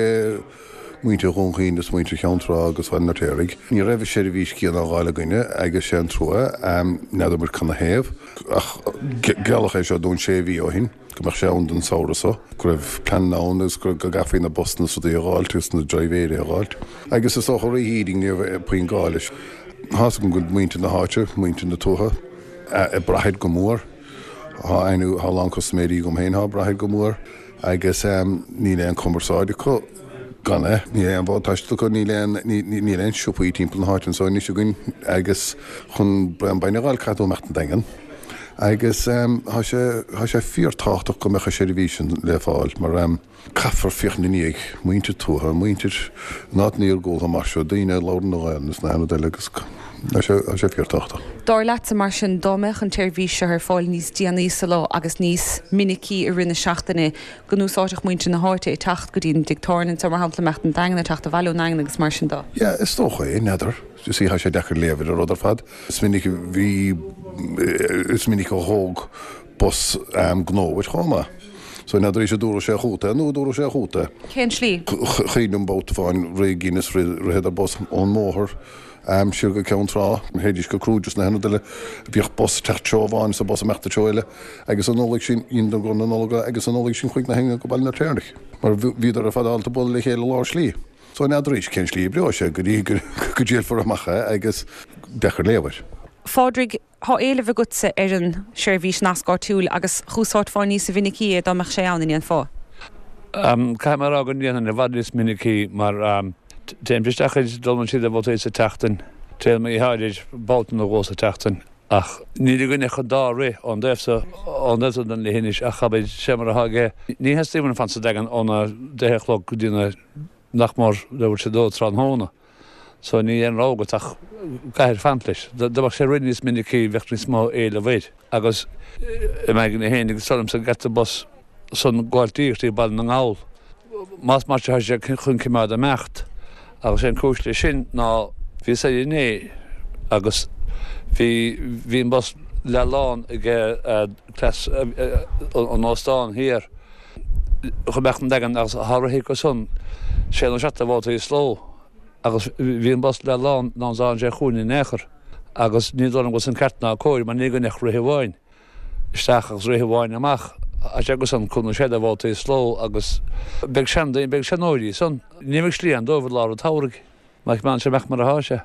muintir Dhún Chaoin is muintir Cheann Trá agus Bhaile an Fheirtéaraigh. Ní raibh an seirbhís céanna á fháil againne agus sé an trua, n'fheadar muid canathaobh. Ach gealladh é seo dúinn sé mhí ó shin, go mbeadh sé ann don samhradh seo, go raibh pleananna ann agus go gcaithfí na busanna is rudaí a dh'fháilt agus na dribhéirí a dh'fháilt. Agus is dócha rith Eating ní raibh puinn gá leis. Tá's agam go bhfuil muintir na háite, muintir na tuaithe, ag brath air go mór. Tá aithne, tá a lán custaiméirí agam féin atá ag brath air go mór agus níl aon chumarsáid acu. Gan é, níl aon mhodh taistil acu, níl aon, níl aon siopaí timpeall na háite anso anois againn agus chun braon bainne a dh'fháil caithfidh tú imeacht an Daingean. Agus tá sé, tá sé fíor-tábhachtach go mbeadh an seirbhís sin le fáil mar caithfear féachaint i ndiaidh muintir tuaithe, muintir in áiteanna iargúltha mar seo, daoine a labhrann an Ghaelainn is na haon rud eile agus tá sé, tá sé fíor-tábhachtach. Dar leatsa mar sin, dá mbeadh an tseirbhís seo ar fáil níos déanaí sa lá agus níos minicí i rith na seachtaine, go n-úsáidfeadh muintir na háite é teacht go dtí an dtig tábhairne anseo, mar shampla, imeacht an Daingean, teacht abhaile ón nDaingean agus mar sin de. Yeah, is dócha é, n'fheadar. You see, tá sé deacair léamh ar an rud ar fad. Is minic a bhí, is minic a thóg bus gnó uait chomh maith. So n'fheadar an dtabharfadh sé chugat é nó an dtabharfadh sé chugat é. Cén tslí? Cuimhin liom babhta amháin rith Guinness, ritheadar bus ón mbóthar siar go Ceann Trá, théidís go Crúid is na haon rud eile. Bhíodh bus ag teacht treo amháin is an bus ag imeacht treo eile agus an Nollaig sin, dheineadar go na Nollag agus an Nollaig sin chuaigh na héinne go Baile an Fheirtéaraigh mar bhíodar ar fad ábalta bualadh le chéile lár slí. So n'fheadar arís cén slí a oibreoidh sé go dtí go dtriailfear amach é agus deacair léamh air. Phádraig, Tá éileamh agatsa ar an seirbhís nasc áitiúil agus dh'úsáidfeá níosa mhinicí é dá mbeadh sé ann, an ndéanfá? Caithfidh mé a rá go ndéanfainn i bhfad níos minicí mar téim isteach ag dul siar de bhabhtaí sa tseachtain, téim i háirid babhta nó dhó sa tseachtain ach níl againn ach an dá rith ón dtaobh so ón dtaobh so den leithinis ach abair sé mar atá aige ní theastaíonn uainn fanacht sa Daingean óna deich a chlog go dtí na nach mór leathuair tar éis a dó tráthnóna. So níl aon rogha agat ach caithfidh fanacht leis. Dá mbeadh sé ag rith níos minicí bheadh níos mó éileamh air. Agus i m'aigne féin agus is dóigh liomsa go gceart an bus san gabháil díreach dtí Baile na nGall. Más mar sin tá sé chun cimeád imeacht. Agus sé an cúis leis sin ná bhíos air inné agus bhí bhí an bus leath lán ag cleas an óstán thiar chun imeacht an Daingean agus thá rith acu san sé nó seacht de bhabhtaí sa ló. Agus bhí an bus leath lán ná tháinig sé chugainn in aon chor agus ní dóigh liom go bhfuil san ceart ná cóir mar ní againn ach rith amháin isteach agus rith amháin amach. Tá sé acu san cúig nó sé de bhabhtaí sa ló agus beidh seandaoine, beidh seanóirí san. Ní bheidh slí ann dóibh i lár an tsamhraidh má choimeádann sé amach mar atá sé.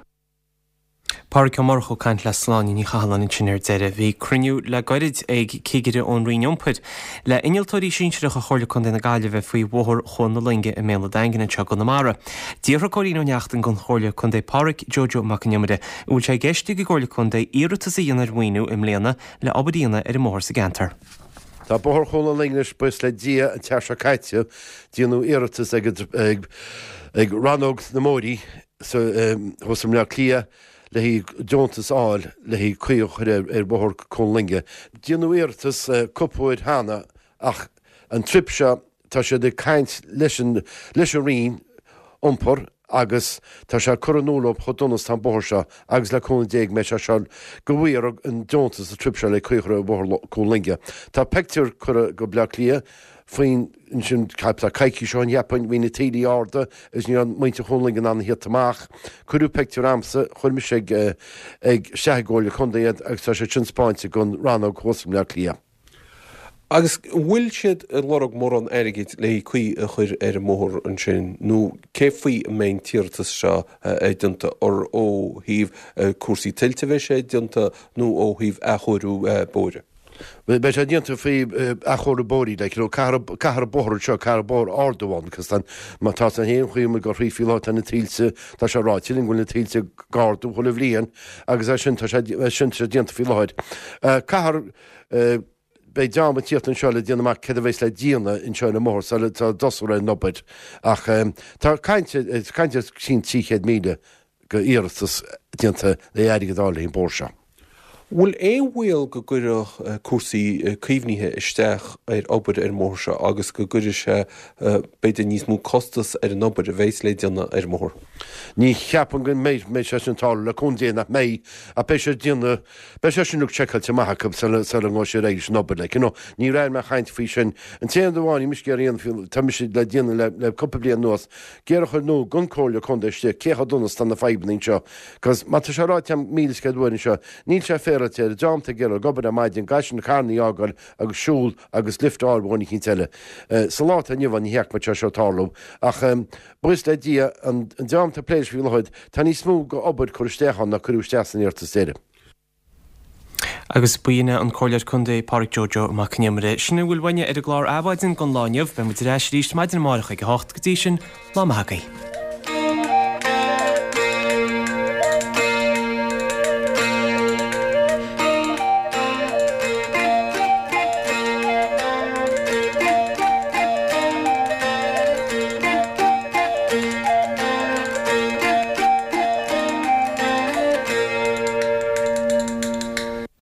Pádraic Ó Murchú ag caint le Sláine Ní Chathalláin ansin ar deireadh. Bhí cruinniú le gairid ag cigire ón Roinn Iompair le innealtóirí sinsearacha Chomhairle Contae na Gaillimhe faoi Bhóthar Chuan na Loinge i mBéal an Daingin anseo i gConamara. D'fhiafraigh Cóilín Ó Neachtain den Chomhairleoir Contae Pádraic Joe Joe Mac an Iomaire an bhfuil sé i gceist ag an gComhairle Contae iarratas a dhéanamh ar mhaoiniú i mbliana le obair a dhéanamh ar an mbóthar sa gceantar. Tá Bóthar Chuan na Loinge anois, buíochas le Dia, an tseachtain seo caite, déanadh iarratas ag ag Rannóg na mBóithrí thuas i mBleá Cliath le haghaidh deontas a fháil le haghaidh caoi a chur ar Bhóthar Chuan na Loinge. Déanadh iarratas cúpla uair cheana ach an trip seo tá siad ag caint leis an leis an Roinn Iompair agus tá sé curtha in iúl leo chomh dona is tá an bóthar seo agus le cúnamh Dé go mbeidh sé seo go bhfaighfear an deontas an trip seo le caoi a chur ar Bhóthar Chuan na Loinge. Tá pictiúr curtha go Bleá Cliath faoin ansin tá coicís ó shin cheapfainn bhí na taoillí arda agus ní raibh muintir Chuan na Loinge in ann a thíocht amach. Cuireadh pictiúr a'msa, chuir mise ag ag isteach ag an gComhairle Contae iad agus tá sé sin spáinte don rannóg thuas i mBleá Cliath. Agus an bhfuil siad ag lorg mórán airgid le caoi a chur ar an mbóthar ansin nó cé faoi a mbeidh an t-iarratas seo déanta, ar ó thaobh cúrsaí tuilte a bheidh sé déanta nó ó thaobh athchóiriú bóithre? Beidh sé déanta faoi athchóiriú bóithre, like, you know, caithfear, caithfear bóthar anseo, caithfear bóthar a ardú ann, cos tá, má tá san haon chaoi amuigh go thrí faoi láthair, tá na tuilte, tá sé ráite linn go bhfuil na tuilte ag ardú chuile bhliain agus é sin, tá sé, é sin, tá sé déanta faoi láthair. Caithfear, beidh dream ag tíocht anseo le déanamh amach céard a bheas le déanamh anseo ar an mbóthar sula dtosófar ar an obair ach tá caint, caint ar sin trí chéad míle go iarratas déanta le airgead a fháil le haghaidh an bóthar seo. Bhfuil aon bhaol go gcuirfeadh cúrsaí caomhnaithe isteach ar obair ar an mbóthar seo agus go gcuirfidh sé b'fhéidir níos mó costas ar an obair a bheas le déanamh ar an mbóthar? Ní cheapaim go mbeidh mbeidh sé sin ag tarlú, le cúnamh Dé nach mbeidh, ach beidh sé déanamh, beidh sé sin uilig seiceáilte amach acu sula sula ngabhfaidh siad ar aghaidh leis an obair, like, you know. Ní raibh mé ag caint faoi sin. An t-aon rud amháin, ní mise ag iarraidh aon, tá mise le déanamh le le cúpla bliain anuas, ag iarraidh a chur in iúl don Comhairle Contae istigh cé chomh dona is tá na fadhbanna anseo, 'cause má tá sé ráite agam míle is céad uair anseo, Níl sé féaráilte ar an dream atá ag iarraidh ag obair ar maidin, caithfidh siad na carrannaí a fhágáil agus siúl agus lift a fháil ó dhuine eicínt eile. Sa lá atá inniu ann ní fheicfidh muid sé seo ag tarlú. Ach buíochas le Dia, an dream atá ag plé leis faoi láthair, tá níos mó go obair curtha isteach ann ná cuireadh isteach san iarratas deiridh. Agus b'in é an Comhairleoir Contae Pádraic Joe Joe Mac an Iomaire. Sin a bhfuil uainne ar an gclár Adhmhaidin don lá inniu. Beidh muid ar ais arís maidin amárach ag a hocht. Go dtí sin, lá maith agaibh.